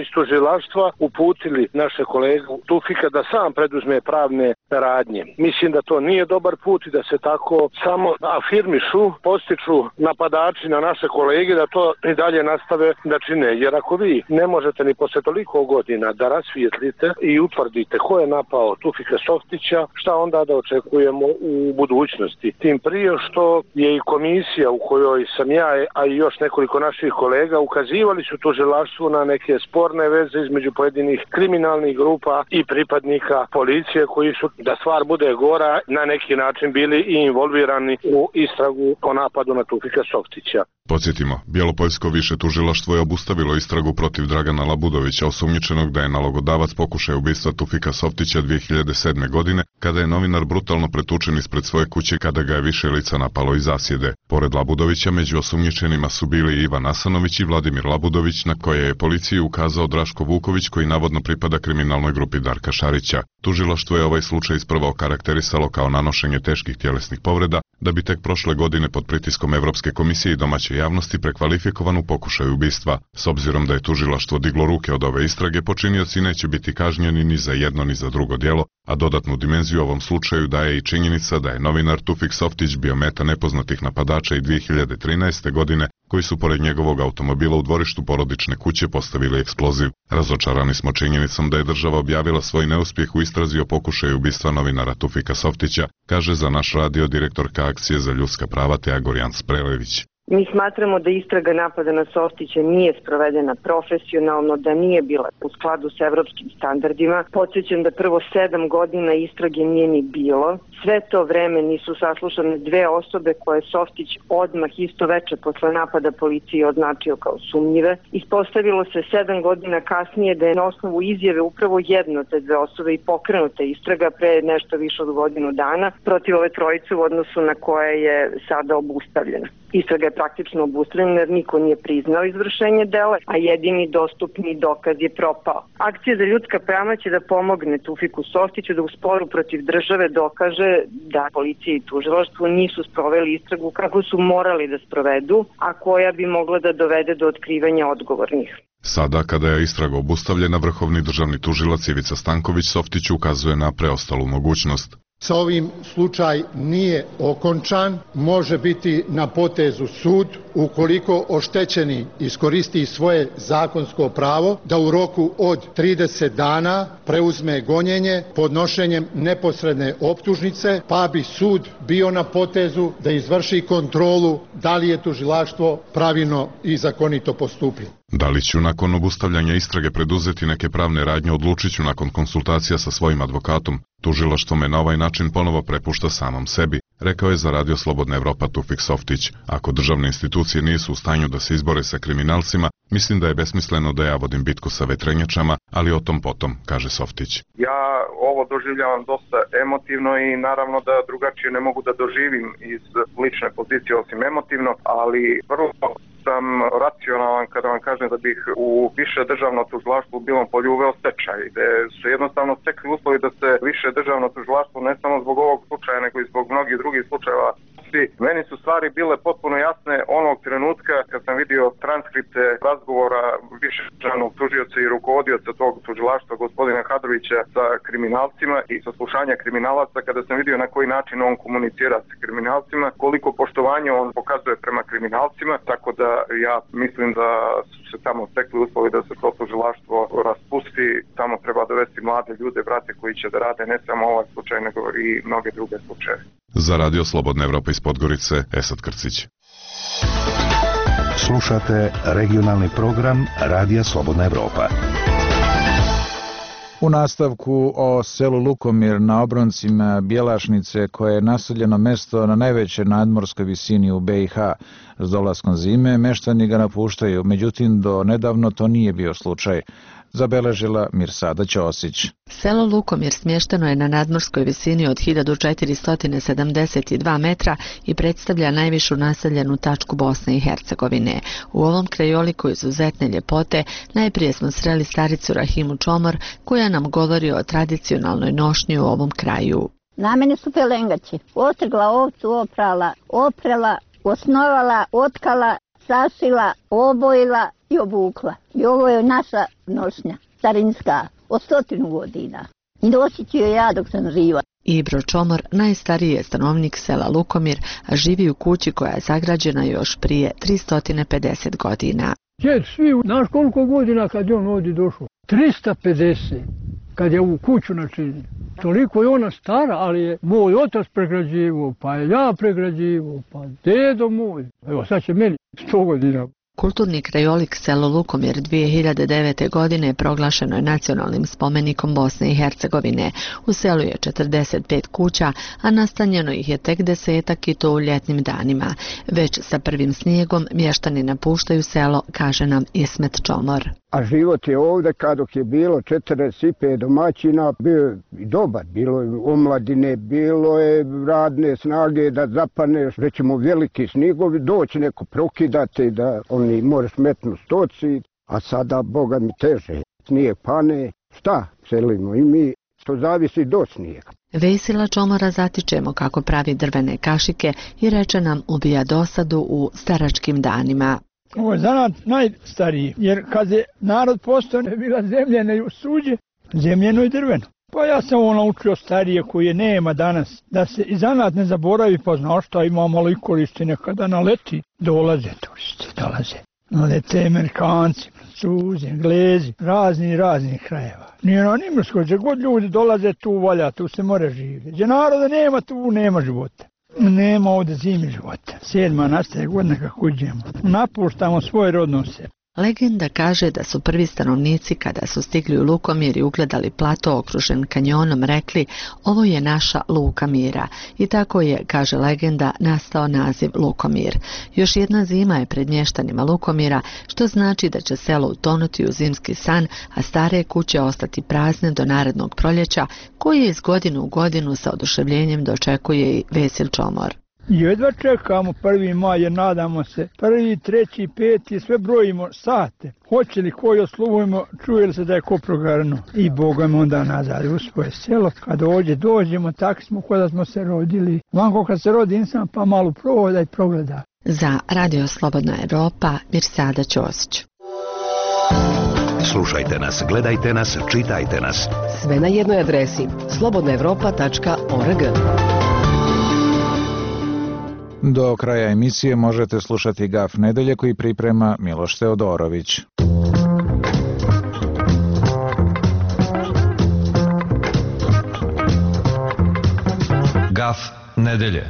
iz tužilaštva uputili naše kolegu Tufika da sam preduzme pravne radnje. Mislim da to nije dobar put i da se tako samo afirmišu, postiču napadači na naše kolege da to i dalje nastave da čine. Jer ako vi ne možete ni posle toliko godina da rasvijetlite i utvrdite ko je napao Tufika Softića, šta onda da očekujemo u budućnosti? Tim prije što je i komisija u kojoj sam ja, a i još nekoliko naših kolega ukazivali su tužilaštvu na neke sporne veze između pojedinih kriminalnih grupa i pripadnika policije koji su, da stvar bude gora, na neki način bili i involvirani u istragu o napadu na Tufika Softića. Podsjetimo, Bjelopoljsko više tužilaštvo je obustavilo istragu protiv Dragana Labudovića, osumnjičenog da je nalogodavac pokušaja ubistva Tufika Softića dvije hiljade sedme. godine, kada je novinar brutalno pretučen ispred svoje kuće kada ga je više lica napalo iz zasjede. Pored Labudovića, među osumnjičenima su bili Ivan Asanović i Vladimir Labudović, na koje je policiji ukazao Draško Vuković, koji navodno pripada kriminalnoj grupi Darka Šarića. Tužilaštvo je ovaj slučaj isprva okarakterisalo kao nanošenje teških tjelesnih povreda, da bi tek prošle godine pod pritiskom Evropske komisije i domaće javnosti prekvalifikovan u pokušaju ubistva. S obzirom da je tužilaštvo diglo ruke od ove istrage, počinioci neće biti kažnjeni ni za jedno ni za drugo djelo, a dodatnu dimenziju ovom slučaju daje i činjenica da je novinar Tufik Softić bio meta nepoznatih napadača i dvije hiljade trinaeste. godine, koji su pored njegovog automobila u dvorištu porodične kuće postavili eksploziv. Razočarani smo činjenicom da je država objavila svoj neuspjeh u istrazi o pokušaju ubistva novinara Tufika Softića, kaže za naš radio direktorka akcije za ljudska prava Teja Gorjan Sprelević. Mi smatramo da istraga napada na Softića nije sprovedena profesionalno, da nije bila u skladu sa evropskim standardima. Podsjećam da prvo sedam godina istrage nije ni bilo. Sve to vreme nisu saslušane dve osobe koje Softić odmah isto veče posle napada policije označio kao sumnjive. Ispostavilo se sedam godina kasnije da je na osnovu izjave upravo jedno te dve osobe i pokrenuta istraga pre nešto više od godinu dana protiv ove trojice u odnosu na koje je sada obustavljena. Istraga je praktično obustavljena jer niko nije priznao izvršenje dela, a jedini dostupni dokaz je propao. Akcija za ljudska prava će da pomogne Taufiku Softiću da u sporu protiv države dokaže da policija i tužilaštvo nisu sproveli istragu kako su morali da sprovedu, a koja bi mogla da dovede do otkrivanja odgovornih. Sada, kada je istraga obustavljena, vrhovni državni tužilac Ivica Stanković Softiću ukazuje na preostalu mogućnost. Sa ovim slučaj nije okončan, može biti na potezu sud ukoliko oštećeni iskoristi svoje zakonsko pravo da u roku od trideset dana preuzme gonjenje podnošenjem neposredne optužnice, pa bi sud bio na potezu da izvrši kontrolu da li je tužilaštvo pravilno i zakonito postupilo. Da li ću nakon obustavljanja istrage preduzeti neke pravne radnje, odlučit ću nakon konsultacija sa svojim advokatom. Tužilaštvo me na ovaj način ponovo prepušta samom sebi, rekao je za Radio Slobodna Evropa Taufik Softić. Ako državne institucije nisu u stanju da se izbore sa kriminalcima, mislim da je besmisleno da ja vodim bitku sa vetrenjačama, ali o tom potom, kaže Softić. Ja ovo doživljavam dosta emotivno i naravno da drugačije ne mogu da doživim iz lične pozicije osim emotivno, ali vrlo sam racionalan kada vam kažem da bih u više državno tužilaštvo u Bilom Polju uveo stečaj, gde su jednostavno stekli uslovi da se više državno tužilaštvo ne samo zbog ovog slučaja nego i zbog mnogih drugih slučajeva. Meni su stvari bile potpuno jasne onog trenutka kad sam vidio transkripte razgovora više državnog tužioca i rukovodioca tog tužilaštva gospodina Hadrovića sa kriminalcima i saslušanja kriminalaca, kada sam vidio na koji način on komunicira sa kriminalcima, koliko poštovanja on pokazuje prema kriminalcima, tako da ja mislim da su se tamo stekli uslovi da se to tužilaštvo raspusti. Tamo treba dovesti mlade ljude, brate, koji će da rade ne samo ovaj slučaj nego i mnoge druge slučaje. Za Radio Slobodna Evropa iz Podgorice, Esad Krcić. Slušate regionalni program Radija Slobodna Evropa. U nastavku o selu Lukomir na obroncima Bjelašnice, koje je naseljeno mesto na najvećoj nadmorskoj visini u be i ha. S dolaskom zime meštani ga napuštaju, međutim do nedavno to nije bio slučaj, zabeležila Mirsada Ćosić. Selo Lukomir smješteno je na nadmorskoj visini od hiljadu četiristo sedamdeset dva metra i predstavlja najvišu naseljenu tačku Bosne i Hercegovine. U ovom krajoliku izuzetne ljepote najprije smo sreli staricu Rahimu Čomor, koja nam govori o tradicionalnoj nošnji u ovom kraju. Na mene su pelengači. Ostrgla ovcu, oprala, oprela, osnovala, otkala, sašila, obojila i obukla. I ovo je naša nošnja, starinska, od stotinu godina. I nosit ću joj ja dok sam živa. Ibro Čomor najstariji je stanovnik sela Lukomir, a živi u kući koja je sagrađena još prije tristo pedeset godina. Djed, svi, znaš koliko godina kad je on ovdje došao? tristo pedeset, kad je u kuću načinio. Toliko je ona stara, ali je moj otac pregrađivao, pa je ja pregrađivao, pa dedo moj. Evo sad će meni sto godina. Kulturni krajolik selo Lukomir dvije hiljade devete. godine proglašeno je nacionalnim spomenikom Bosne i Hercegovine. U selu je četrdeset pet kuća, a nastanjeno ih je tek desetak i to u ljetnim danima. Već sa prvim snijegom mještani napuštaju selo, kaže nam Ismet Čomor. A život je ovdje, kad je bilo četrdeset pet domaćina, bio i dobar. Bilo je omladine, bilo je radne snage da zapaneš, rećemo veliki snigovi, doći neko prokidati da oni moraš metnu stoci, a sada, Boga mi teže, snijeg pane, šta selimo i mi, to zavisi do snijega. Vesila Čomora zatičemo kako pravi drvene kašike i reče nam ubija dosadu u staračkim danima. Ovo je zanat najstariji, jer kad je narod postao je bila zemljena i suđe, zemljeno i drveno. Pa ja sam ovo naučio starije koje nema danas, da se i zanat ne zaboravi, pa znaš šta ima malo i koristi, nekada naleti, dolaze turisti, dolaze. Nalete Amerikanci, Francuzi, Englezi, razni razni krajeva. Nije na Nimrskoj, gdje god ljudi dolaze tu valja, tu se more živjeti. Gdje naroda nema, tu nema života. Nema ovdje zimi života. Sedma nastaje godina kako uđemo. Napuštamo svoj rodno selo. Legenda kaže da su prvi stanovnici kada su stigli u Lukomir i ugledali plato okružen kanjonom rekli ovo je naša Luka mira i tako je, kaže legenda, nastao naziv Lukomir. Još jedna zima je pred mještanima Lukomira, što znači da će selo utonuti u zimski san, a stare kuće ostati prazne do narednog proljeća koje iz godinu u godinu sa oduševljenjem dočekuje i Vesil Čomor. Jedva čekamo prvi maj jer nadamo se prvi, treći, peti, sve brojimo sate. Hoće li koji osluvujemo, čuje li se da je ko progarno. I Boga me onda nazad u svoje selo. Kad ovdje dođemo, tako smo kada smo se rodili. Vanko kad se rodi insan pa malo prohoda i progleda. Za Radio Slobodna Evropa, Mirsada Ćosić. Slušajte nas, gledajte nas, čitajte nas. Sve na jednoj adresi slobodna evropa tačka org. Do kraja emisije možete slušati Gaf nedelje koji priprema Miloš Teodorović. Gaf nedelje.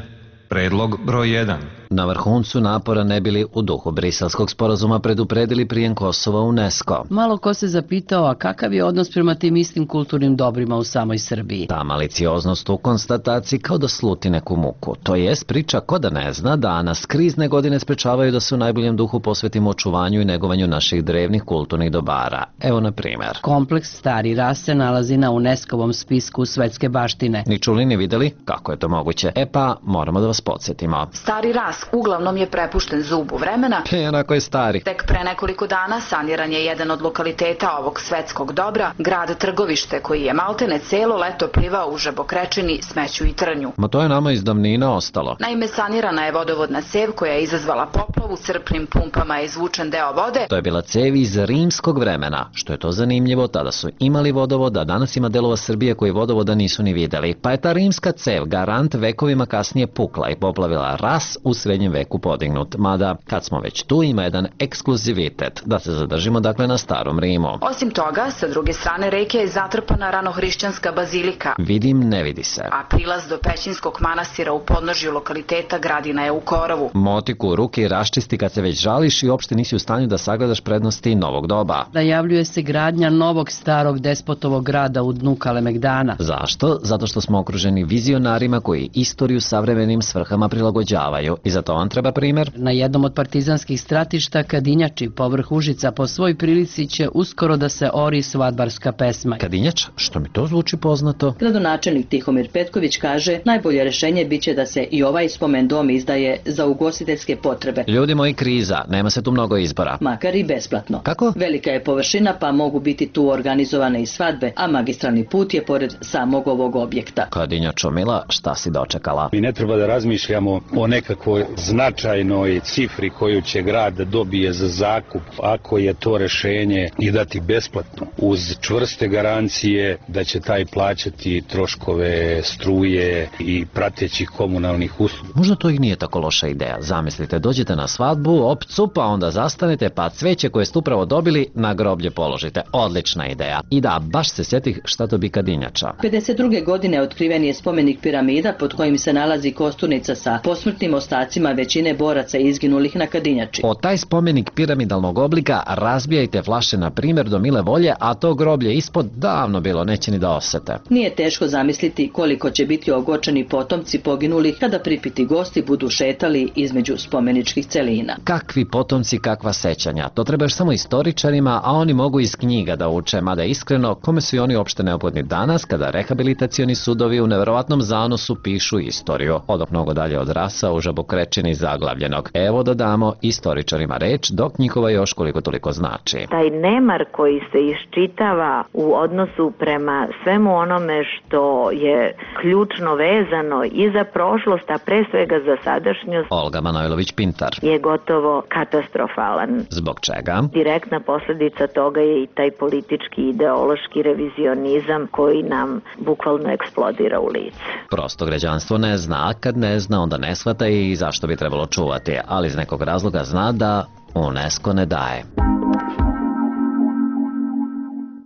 Predlog broj jedan. Na vrhuncu napora ne bili u duhu briselskog sporazuma predupredili prijem Kosova u UNESCO. Malo ko se zapitao, a kakav je odnos prema tim istim kulturnim dobrima u samoj Srbiji? Ta malicioznost u konstataciji kao da sluti neku muku. To jest priča ko da ne zna da nas krizne godine sprečavaju da se u najboljem duhu posvetimo očuvanju i negovanju naših drevnih kulturnih dobara. Evo na primjer. Kompleks Stari Ras se nalazi na UNESCO-vom spisku svetske baštine. Ni čuli ni videli kako je to moguće. E pa, moramo da vas podsjetimo. Stari Ras uglavnom je prepušten zubu vremena. E, onako je stari. Tek pre nekoliko dana saniran je jedan od lokaliteta ovog svetskog dobra, grad Trgovište, koji je maltene celo leto plivao u žabokrečini, smeću i trnju. Ma to je nama iz davnina ostalo. Naime, sanirana je vodovodna cev koja je izazvala poplavu, crpnim pumpama je izvučen deo vode. To je bila cev iz rimskog vremena. Što je to zanimljivo, tada su imali vodovod, a danas ima delova Srbije koji vodovoda nisu ni videli. Pa je ta rimska cev garant vekovima kasnije pukla i poplavila Ras u srednjem veku podignut. Mada, kad smo već tu, ima jedan ekskluzivitet, da se zadržimo dakle na starom Rimu. Osim toga, sa druge strane reke je zatrpana ranohrišćanska bazilika. Vidim, ne vidi se. A prilaz do Pećinskog manastira u podnožju lokaliteta Gradina je u korovu. Motiku u ruke i raščisti kad se već žališ i uopšte nisi u stanju da sagledaš prednosti novog doba. Najavljuje se gradnja novog starog despotovog grada u dnu Kalemegdana. Zašto? Zato što smo okruženi vizionarima koji istoriju savremenim svrhama prilagođavaju. I za to vam treba primjer? Na jednom od partizanskih stratišta Kadinjači povrh Užica po svoj prilici će uskoro da se ori svadbarska pesma. Kadinjač? Što mi to zvuči poznato? Gradonačelnik Tihomir Petković kaže najbolje rešenje biće da se i ovaj spomen dom izdaje za ugostiteljske potrebe. Ljudi moji, kriza, nema se tu mnogo izbora. Makar i besplatno. Kako? Velika je površina pa mogu biti tu organizovane i svadbe, a magistralni put je pored samog ovog objekta. Kadinjačo mila, šta si dočekala? Mi ne treba da razmišljamo o nekakvoj značajnoj cifri koju će grad da dobije za zakup ako je to rešenje i dati besplatno uz čvrste garancije da će taj plaćati troškove struje i pratećih komunalnih usluga. Možda to i nije tako loša ideja. Zamislite, dođete na svadbu, opcu, pa onda zastanete, pa cveće koje ste upravo dobili na groblje položite. Odlična ideja. I da, baš se sjetih šta to bi Kadinjača. pedeset druge godine otkriven je spomenik piramida pod kojim se nalazi kosturnica sa posmrtnim ostacima većine boraca izginulih na Kadinjači. O taj spomenik piramidalnog oblika razbijajte flaše na primjer do mile volje, a to groblje ispod davno bilo neće ni da osete. Nije teško zamisliti koliko će biti ogorčeni potomci poginulih kada pripiti gosti budu šetali između spomeničkih celina. Kakvi potomci, kakva sećanja. To treba još samo istoričarima, a oni mogu iz knjiga da uče, mada iskreno, kome su i oni uopšte neophodni danas kada rehabilitacioni sudovi u neverovatnom zanosu pišu istoriju. Odok mnogo dalje od Rasa u žabokrečini zaglavljenog. Evo da damo istoričarima reč, dok njihova još koliko toliko znači. Taj nemar koji se iščitava u odnosu prema svemu onome što je ključno vezano i za prošlost, a pre svega za sadašnjost, Olga Manojlović-Pintar, je gotovo katastrofalan. Zbog čega? Direktna posljedica toga je i taj politički ideološki revizionizam koji nam bukvalno eksplodira u lice. Prosto građanstvo ne zna, a kad ne zna onda ne shvata i zašto bi trebalo čuvati, ali iz nekog razloga zna da UNESCO ne daje.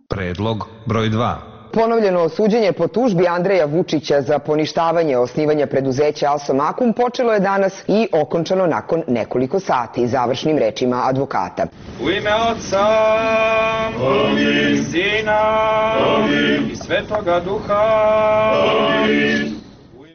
Predlog broj dva. Ponovljeno suđenje po tužbi Andreja Vučića za poništavanje osnivanja preduzeća Alsomakum počelo je danas i okončano nakon nekoliko sati, završnim rečima advokata. U ime Otca i Sina i Svetoga Duha.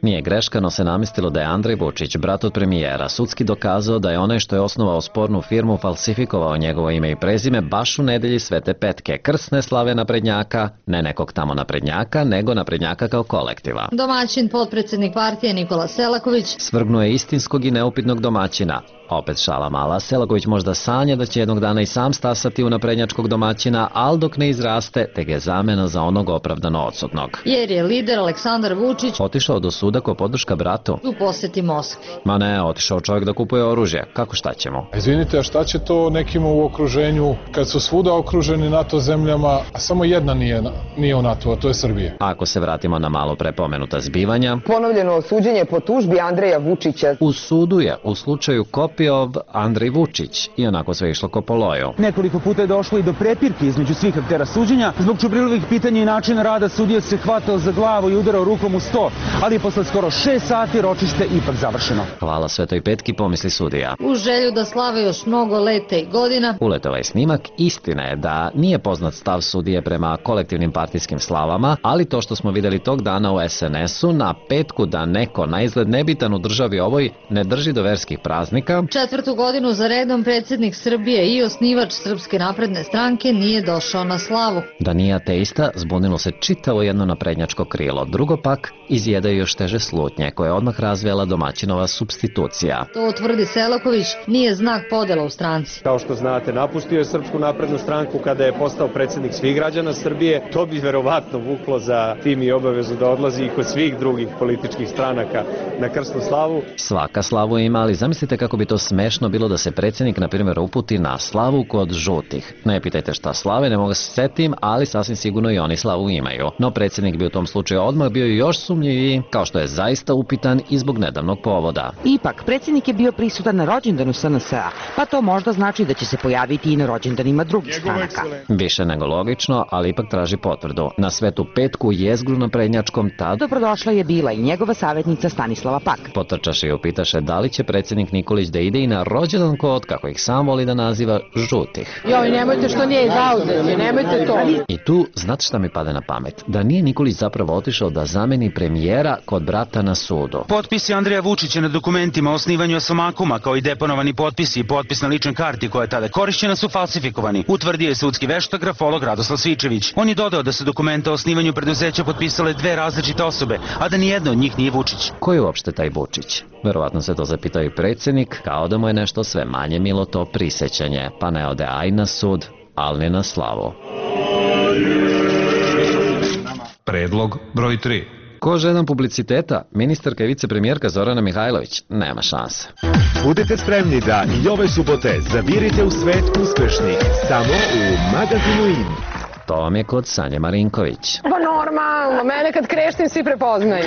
Nije greška, no se namestilo da je Andrej Vučić, brat od premijera, sudski dokazao da je onaj što je osnovao spornu firmu falsifikovao njegovo ime i prezime baš u nedelji Svete Petke, krsne slave naprednjaka, ne nekog tamo naprednjaka, nego naprednjaka kao kolektiva. Domaćin, potpredsjednik partije Nikola Selaković, svrgnuo je istinskog i neupitnog domaćina. Opet šala mala, Selaković možda sanja da će jednog dana i sam stasati u naprednjačkog domaćina, ali dok ne izraste, te ga je zamena za onog opravdano odsutnog. Jer je lider Aleksandar Vučić otišao do suda ko podrška bratu u poseti Moskvi. Ma ne, otišao čovjek da kupuje oružje. Kako šta ćemo? Izvinite, a šta će to nekima u okruženju kad su svuda okruženi NATO zemljama, a samo jedna nije, nije u NATO, a to je Srbija? Ako se vratimo na malo prepomenuta zbivanja. Ponovljeno suđenje po tužbi Andreja Vučića. U sudu je u slučaju Kopijov Andrej Vučić i onako sve išlo ko po loju. Nekoliko puta je došlo i do prepirke između svih aktera suđenja. Zbog čubrilovih pitanja i načina rada sudija se hvatao za glavu i udarao rukom u sto, ali posle skoro šest sati ročište ipak završeno. Hvala Svetoj Petki, pomisli sudija. U želju da slave još mnogo leta i godina. Ulet ovaj snimak, istina je da nije poznat stav sudije prema kolektivnim partijskim slavama, ali to što smo vidjeli tog dana u es en esu na petku da neko na izgled nebitan u državi ovoj ne drži do verskih praznika. Četvrtu godinu za redom predsjednik Srbije i osnivač Srpske napredne stranke nije došao na slavu. Da nije ateista, zbunilo se čitavo jedno naprednjačko krilo. Drugo pak, izjedaju još teže slutnje, koje je odmah razvijela domaćinova supstitucija. To tvrdi Selaković, nije znak podela u stranci. Kao što znate, napustio je Srpsku naprednu stranku kada je postao predsjednik svih građana Srbije. To bi verovatno vuklo za tim i obavezu da odlazi i kod svih drugih političkih stranaka na krsnu slavu. Svaka slavu ima, ali zamislite kako bi to smešno bilo da se predsjednik, na primjer, uputi na slavu kod žutih. Ne pitajte šta slave, ne mogu se setim, ali sasvim sigurno i oni slavu imaju. No predsjednik bi u tom slučaju odmah bio još sumnjiviji, kao što je zaista upitan i zbog nedavnog povoda. Ipak, predsjednik je bio prisutan na rođendanu es en es a, pa to možda znači da će se pojaviti i na rođendanima drugih stranaka. Više nego logično, ali ipak traži potvrdu. Na Svetu Petku jezgru na prednjačkom tad dobrodošla je bila i njegova savjetnica Stanislava Pak. Potrčaše i upitaše da li će predsjednik Nikolić da ide i na rođendan kod, kako ih sam voli da naziva, žutih. Joj, nemojte što nije zauzeti, nemojte to. I tu, znate šta mi pada na pamet? Da nije Nikolić zapravo otišao da zameni premijera kod brata na sudu. Potpisi Andreja Vučića na dokumentima o osnivanju Alsomakuma, kao i deponovani potpisi i potpis na ličnoj karti koja je tada korišćena, su falsifikovani, utvrdio je sudski veštak grafolog Radoslav Svičević. On je dodao da su dokumenta o osnivanju preduzeća potpisale dve različite osobe, a da nijedna od njih nije Vučić. Ko je uopšte taj Vučić? Verovatno se to zapitao i predsjednik, kao da mu je nešto sve manje milo to prisećanje, pa ne ode aj na sud, ali ni na slavu. Predlog broj tri. Ko žedan publiciteta, ministarka i vicepremijerka Zorana Mihajlović, nema šanse. Budite spremni da i ove subote zavirite u svet uspešnih, samo u magazinu In. To vam je kod Sanje Marinković. Pa normalno, mene kad kreštim svi prepoznaju.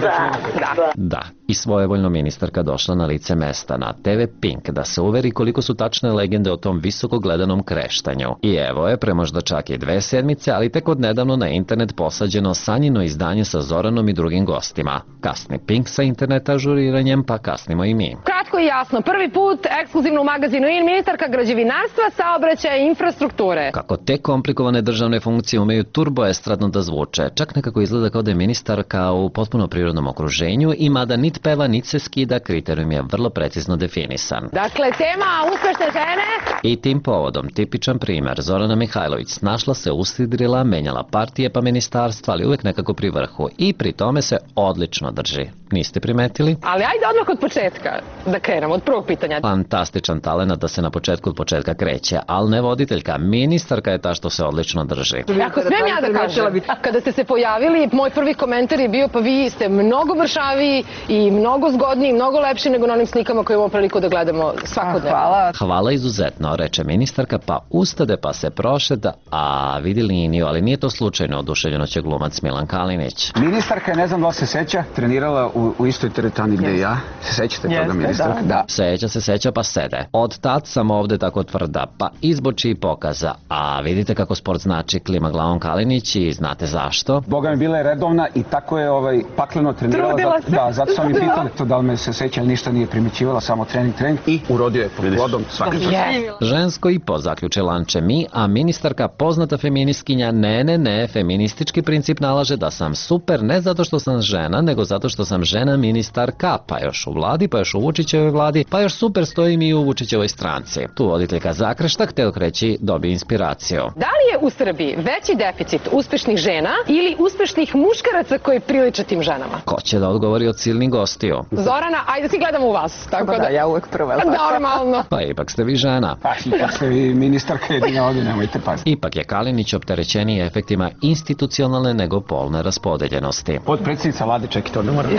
Da, da. Da, i svojevoljno ministarka došla na lice mesta na te ve Pink da se uveri koliko su tačne legende o tom visoko gledanom kreštanju. I evo je, pre možda čak i dve sedmice, ali tek od nedavno na internet posađeno Sanjino izdanje sa Zoranom i drugim gostima. Kasni Pink sa interneta ažuriranjem, pa kasnimo i mi. Kratko i jasno, prvi put ekskluzivno u magazinu In, ministarka građevinarstva, saobraćaja i infrastrukture. Kako te komplikovane državne funkcije umeju turboestradno da zvuče, čak nekako izgleda kao da je ministarka u potpuno prirodnom okruženju i mada nit peva, nit se skida, kriterijum je vrlo precizno definisan. Dakle, tema uspešne žene. I tim povodom, tipičan primer, Zorana Mihajlović snašla se, usidrila, menjala partije pa ministarstva, ali uvek nekako pri vrhu i pri tome se odlično drži. Niste primetili? Ali ajde odmah od početka da krenemo, od prvog pitanja. Fantastičan talent da se na početku od početka kreće, ali ne voditeljka, ministarka je ta što se odlično drži. Ako smem ja da kažem, kada ste se pojavili, moj prvi komentar je bio pa vi ste mnogo mršaviji i mnogo zgodniji, mnogo lepši nego na onim slikama koje imamo priliku da gledamo svakodnevno. Hvala. Hvala izuzetno, reče ministarka, pa ustade pa se prošeta, a vidi liniju, ali nije to slučajno, oduševljeno će glumac Milan Kalinić. Ministarka, ne znam da li se seća, trenirala u, u istoj teretani gde ja. Se sećate toga, ministarka? Da. Seća se, seća pa sede. Od tad sam ovde tako tvrda, pa izboči i pokaza. A vidite kako sport znači, klima glavom Kalinić i znate zašto? Boga mi bila je redovna i tako je ovaj, pakleno trenirala. Trudila se. Da, zato sam mi pitali to da li me se seća, ali ništa nije primećivala, samo trening, trening i urodio je pod plodom svaki čas. Žensko i po zaključe lanče mi, a ministarka poznata feministkinja, ne, ne, ne, feministički princip nalaže da sam super ne zato što sam žena, nego zato što sam žena ministarka, pa još u vladi, pa još u Vučićevoj vladi, pa još super stojim i u Vučićevoj stranci. Tu voditeljka zakrešta, hteo kreći, dobi inspiraciju. Da li je u Srbiji veći deficit uspešnih žena ili uspešnih muškaraca koji priliče tim ženama? Ko će da odgovori od silnih gostiju? Zorana, ajde svi gledamo u vas. Tako da, da, ja uvek prva. Normalno. Pa ipak ste vi žena. Pa ipak ste vi ministarka jedina ovdje, nemojte paziti. Ipak je Kalinić opterećeniji efektima institucionalne nego polne raspodeljenosti. Podpredsjednica vlade, čekaj, to ne moram.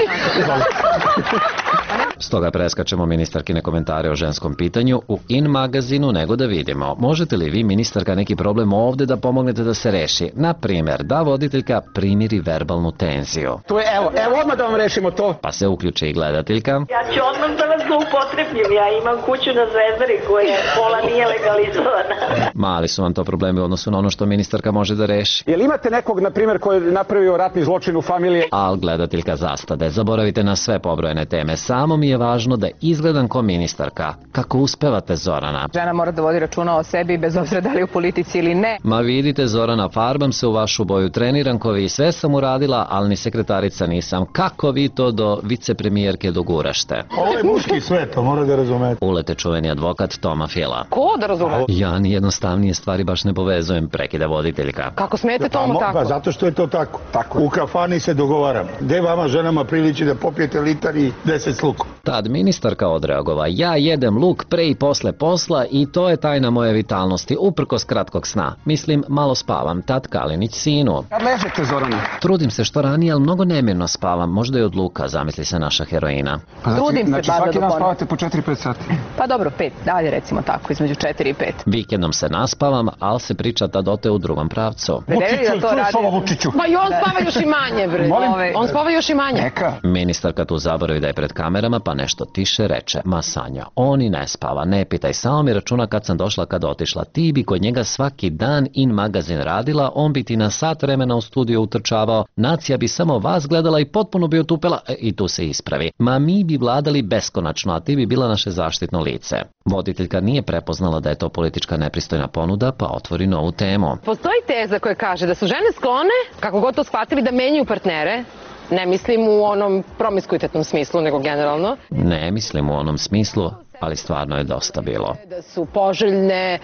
Stoga preskačemo ministarkine komentare o ženskom pitanju u In magazinu, nego da vidimo. Možete li vi, ministarka, neki problem ovde da pomognete da se reši? Na primer, da voditeljka primiri verbalnu tenziju. To je, evo, evo odmah da vam rešimo to. Pa se uključi i gledateljka. Ja ću odmah da vas zloupotrebim, ja imam kuću na Zvezdari koja pola nije legalizovana. Mali su vam to problemi u odnosu na ono što ministarka može da reši. Jel imate nekog, na primjer, koji je napravio ratni zločin u familiji? Al gledateljka zastade, zaboravite na sve pobrojene teme, samo mi je važno da izgledam ko ministarka. Kako uspevate, Zorana? Žena mora da vodi računa o sebi bez obzira da li u politici ili ne. Ma vidite, Zorana, farbam se u vašu boju, treniram ko vi, sve sam uradila, ali ni sekretarica nisam. Kako vi to do vicepremijerke dogurašte? Ovo je muški svet, to mora da razumete. Ulete čuveni advokat Toma Fila. Ko da razume? Ja ni jednostavnije stvari baš ne povezujem, prekida voditeljka. Kako smete Toma pa, tako? Pa zato što je to tako. tako. U kafani se dogovaramo. Gde vama ženama priliči da popijete litar i deset s lukom? Tad ministarka odreagova, ja jedem luk pre i posle posla i to je tajna moje vitalnosti, uprkos kratkog sna. Mislim, malo spavam, tad Kalinić sinu. Kad ležete, Zorana? Trudim se što ranije, ali mnogo nemirno spavam, možda i od luka, zamisli se naša heroina. Pa znači, Trudim se, znači bar da svaki dan doponim. spavate po četiri pet sati? Pa dobro, pet, dalje recimo tako, između četiri i pet. Vikendom se naspavam, ali se priča tad ote u drugom pravcu. Vučiću, čuješ ovo, Vučiću? Ma i on spava još i manje, bre. Molim? On spava još i manje. Neka. Ministarka tu zaboravi da je pred kamerama, pa nešto tiše reče, ma Sanja, on i ne spava, ne pitaj, samo mi računa kad sam došla, kad otišla, ti bi kod njega svaki dan In magazin radila, on bi ti na sat vremena u studiju utrčavao, nacija bi samo vas gledala i potpuno bi otupela, e, i tu se ispravi. Ma mi bi vladali beskonačno, a ti bi bila naše zaštitno lice. Voditeljka nije prepoznala da je to politička nepristojna ponuda, pa otvori novu temu. Postoji teza koja kaže da su žene sklone, kako god to shvatili, da menjaju partnere. Ne mislim u onom promiskuitetnom smislu, nego generalno. Ne mislim u onom smislu, ali stvarno je dosta bilo. Da su poželjne.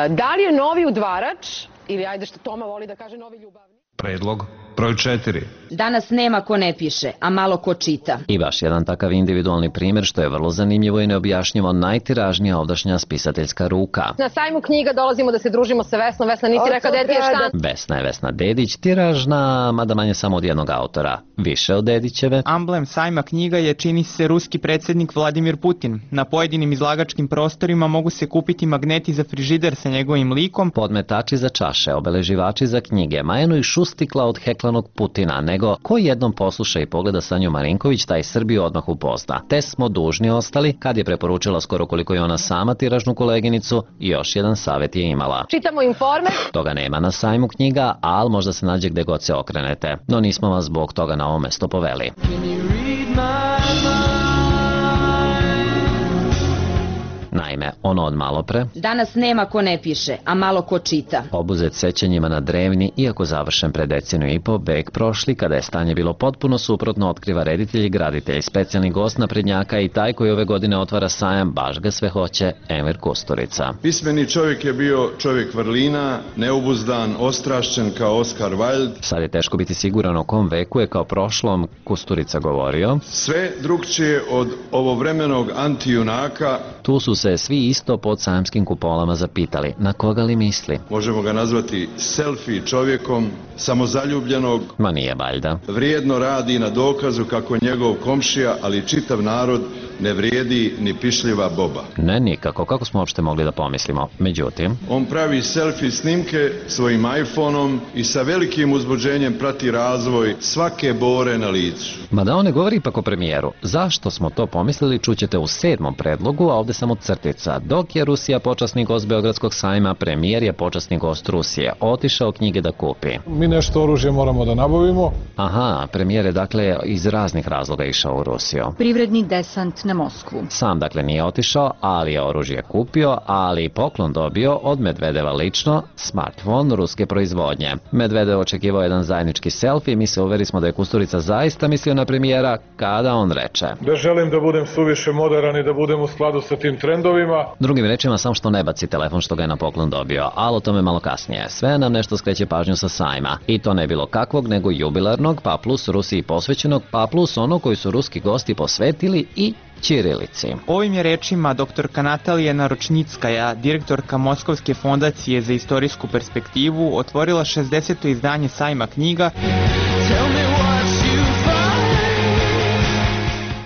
Da li je novi udvarač, ili ajde što Toma voli da kaže novi ljubavnik? Predlog broj četiri. Danas nema ko ne piše, a malo ko čita. I baš jedan takav individualni primjer što je vrlo zanimljivo i neobjašnjivo, najtiražnija ovdašnja spisateljska ruka. Na sajmu knjiga dolazimo da se družimo sa Vesnom. Vesna, nisi rekao da je ti je štan? Vesna je Vesna Dedić, tiražna, mada manje samo od jednog autora. Više od Dedićeve. Amblem sajma knjiga je, čini se, ruski predsjednik Vladimir Putin. Na pojedinim izlagačkim prostorima mogu se kupiti magneti za frižider sa njegovim likom, podmetači za čaše, obeleživači za knjige, ma eno i šustikla od heklanog Putina, nego ko jednom posluša i pogleda Sanju Marinković, taj Srbiju odmah upozna. Te smo dužni ostali, kad je preporučila skoro koliko je ona sama tiražnu koleginicu, i još jedan savjet je imala. Čitamo Informer. Toga nema na sajmu knjiga, al možda se nađe gde god se okrenete. No nismo vas zbog toga na ovo mesto poveli. Naime, ono od malopre. Danas nema ko ne piše, a malo ko čita. Obuzet sećanjima na drevni, iako završen pred deceniju i po, bek prošli, kada je stanje bilo potpuno suprotno, otkriva reditelj i graditelj, specijalni gost naprednjaka i taj koji ove godine otvara sajam, baš ga sve hoće, Emir Kusturica. Pismeni čovjek je bio čovjek vrlina, neobuzdan, ostrašćen kao Oscar Wilde. Sad je teško biti siguran o kom veku je kao prošlom Kusturica govorio. Sve drugčije od ovovremenog antijunaka. Tu su se svi isto pod sajamskim kupolama zapitali, na koga li misli? Možemo ga nazvati selfie čovjekom, samozaljubljenog. Ma nije valjda. Vrijedno radi na dokazu kako njegov komšija, ali i čitav narod ne vrijedi ni pišljiva boba. Ne nikako, kako smo uopšte mogli da pomislimo. Međutim, on pravi selfie snimke svojim iPhoneom i sa velikim uzbuđenjem prati razvoj svake bore na licu. Mada on ne govori ipak o premijeru. Zašto smo to pomislili čućete u sedmom predlogu, a ovde samo crtica. Dok je Rusija počasni gost Beogradskog sajma, premijer je počasni gost Rusije. Otišao knjige da kupi. Mi nešto oružje moramo da nabavimo. Aha, premijer je dakle iz raznih razloga išao u Rusiju. Privredni desant na Moskvu. Sam dakle nije otišao, ali je oružje kupio, ali i poklon dobio od Medvedeva lično, smartphone ruske proizvodnje. Medvedev očekivao jedan zajednički selfie, mi se uveri smo da je Kusturica zaista mislio na premijera kada on reče: Da želim da budem suviše moderan i da budem u skladu sa tim trendovima. Drugim rečima, sam što ne baci telefon što ga je na poklon dobio, ali o tome malo kasnije. Sve nam nešto skreće pažnju sa sajma. I to ne bilo kakvog, nego jubilarnog, pa plus Rusiji posvećenog, pa plus ono koji su ruski gosti posvetili i ćirilici. Ovim je rečima doktorka Natalija Naročnickaja, direktorka Moskovske fondacije za istorijsku perspektivu, otvorila šezdeseto izdanje sajma knjiga.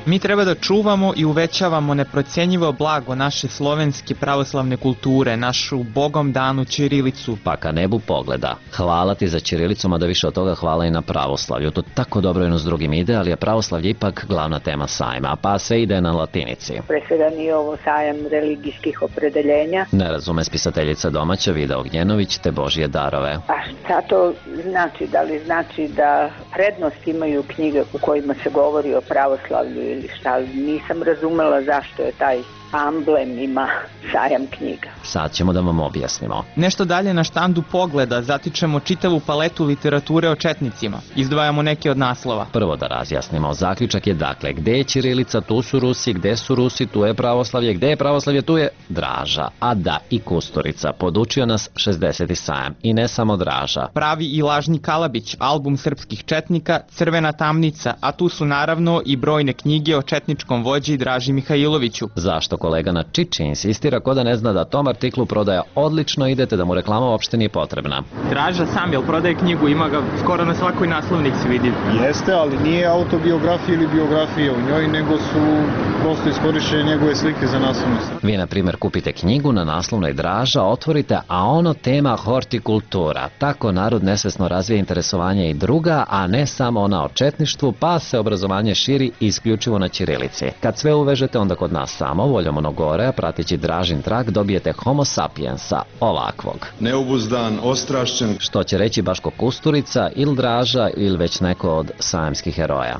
Mi treba da čuvamo i uvećavamo neprocenjivo blago naše slovenske pravoslavne kulture, našu bogom danu ćirilicu. Pa ka nebu pogleda. Hvala ti za ćirilicu, mada više od toga hvala i na pravoslavlju. To tako dobro jedno s drugim ide, ali je pravoslavlje ipak glavna tema sajma, pa sve ide na latinici. Pre svega nije ovo sajam religijskih opredeljenja. Ne razume spisateljica domaća Vida Ognjenović te Božje darove. A šta to znači? Da li znači da prednost imaju knjige u kojima se govori o pravoslavlju ili šta? Nisam razumela zašto je taj amblem ima sajam knjiga. Sad ćemo da vam objasnimo. Nešto dalje na štandu Pogleda zatičemo čitavu paletu literature o četnicima. Izdvajamo neke od naslova. Prvo da razjasnimo. Zaključak je dakle, gde je ćirilica, tu su Rusi, gde su Rusi, tu je pravoslavlje, gde je pravoslavlje, tu je Draža. A da, i Kusturica. Podučio nas šezdeseti sajam. I ne samo Draža. Pravi i lažni Kalabić, album srpskih četnika, Crvena tamnica, a tu su naravno i brojne knjige o četničkom vođi Draži Mihajloviću. Zašto kolega na Čiči insistira ko da ne zna da tom artiklu prodaja odlično, idete da mu reklama uopšte nije potrebna. Draža sam, jel prodaje knjigu, ima ga skoro na svakoj naslovnici vidi. Jeste, ali nije autobiografija ili biografija u njoj, nego su prosto iskorišćene njegove slike za naslovnicu. Vi, na primjer, kupite knjigu na naslovnoj Draža, otvorite, a ono tema hortikultura. Tako narod nesvesno razvija interesovanje i druga, a ne samo ona o četništvu, pa se obrazovanje širi isključivo na ćirilici. Kad sve uvežete, onda kod nas samo voljom ono gore, pratići Dražin trag, dobijete homo sapiensa, ovakvog. Neobuzdan, ostrašćen. Što će reći Baško Kusturica, ili Draža, ili već neko od sajamskih heroja.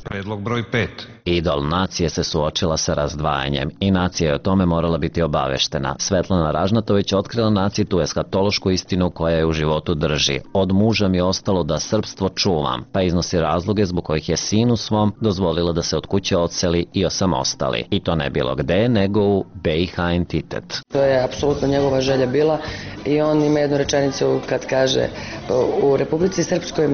Predlog broj pet. Idol nacije se suočila sa razdvajanjem i nacija je o tome morala biti obaveštena. Svetlana Ražnatović otkrila naciji tu eskatološku istinu koja je u životu drži. Od muža mi je ostalo da srpstvo čuvam, pa iznosi razloge zbog kojih je sinu svom dozvolila da se od kuće odseli i osamostali. I to ne bilo gde, nego u B i H entitet. To je apsolutno njegova želja bila i on ima jednu rečenicu kad kaže u Republici Srpskoj,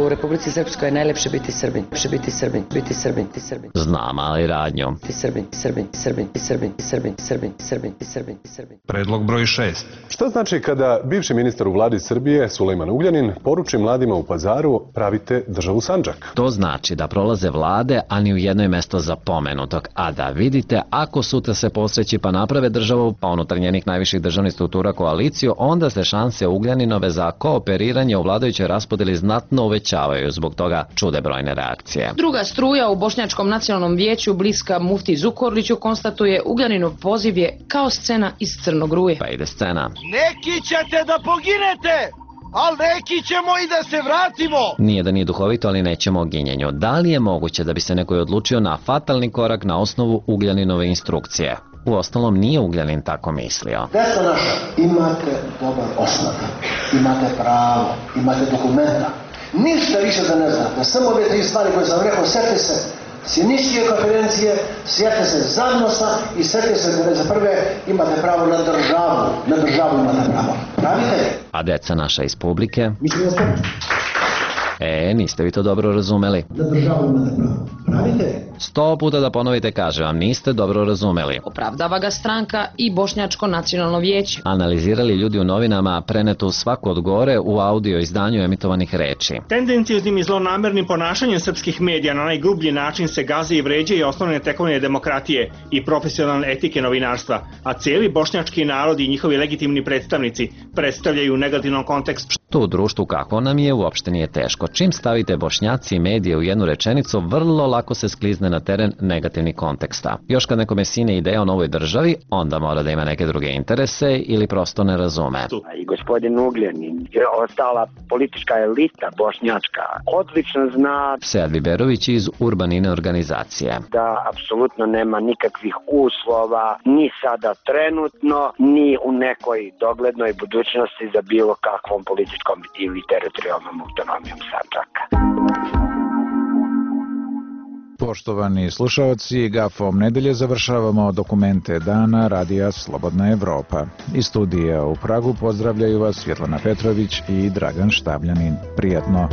u Republici Srpskoj je najlepše biti Srbin, biti Srbin, biti Srbin, ti Srbin. Znam, ali radnju. Ti Srbin, ti Srbin, ti Srbin, ti Srbin, ti Srbin, ti Srbin, ti Srbin, ti Srbin, ti Srbin. Predlog broj šest. Šta znači kada bivši ministar u vladi Srbije, Sulejman Ugljanin, poruči mladima u Pazaru pravite državu Sandžak? To znači da prolaze vlade, a ni u jednoj mesto za pomenutog. A da vidite, ako sutra se posreći pa naprave državu, pa unutar njenih najviših državnih struktura koaliciju, onda se šanse Ugljaninove za kooperiranje u vladajućoj raspodeli znatno uvećavaju, zbog toga čude brojne reakcije. Druga struja u Bošnjačkom nacionalnom vijeću, bliska Mufti Zukorliću, konstatuje Ugljaninov poziv je kao scena iz Crnog ruje. Pa ide scena. Neki ćete da poginete, ali neki ćemo i da se vratimo. Nije da nije duhovito, ali nećemo o ginjenju. Da li je moguće da bi se neko odlučio na fatalni korak na osnovu Ugljaninove instrukcije? U ostalom nije Ugljanin tako mislio. Deca naša, imate dobar osnov, imate pravo, imate dokumenta. Ništa više da ne znate, samo ove tri stvari koje sam rekao, sjete se Sjeničke konferencije, sjete se Zagnosa i sjete se da za prve imate pravo na državu, na državu imate pravo. Pravite? A deca naša iz publike? Mislim da ste. E, niste vi to dobro razumeli. Na državu imate pravo. Pravite? Sto puta da ponovite, kaže vam, niste dobro razumeli. Opravdava ga stranka i Bošnjačko nacionalno vijeće. Analizirali ljudi u novinama prenetu svaku od gore u audio izdanju emitovanih reči. Tendencijoznim i zlonamernim ponašanjem srpskih medija na najgrublji način se gaze i vređaju osnovne tekovine demokratije i profesionalne etike novinarstva, a cijeli bošnjački narod i njihovi legitimni predstavnici predstavljaju u negativnom kontekstu. To u društvu kakvo nam je uopšte nije teško. Čim stavite Bošnjaci i medije u jednu rečenicu, vrlo lako se sklizne na teren negativnih konteksta. Još kad nekome sine ideja o novoj državi, onda mora da ima neke druge interese ili prosto ne razume. I gospodin Ugljanin i ostala politička elita bošnjačka odlično zna Sead Biberović iz Urbanine organizacije. Da apsolutno nema nikakvih uslova ni sada trenutno, ni u nekoj doglednoj budućnosti za bilo kakvom političkom ili teritorijalnom autonomijom Sandžaka. Poštovani slušaoci, gafom nedelje završavamo dokumente dana Radija Slobodna Evropa. Iz studija u Pragu pozdravljaju vas Svjetlana Petrović i Dragan Štabljanin. Prijatno!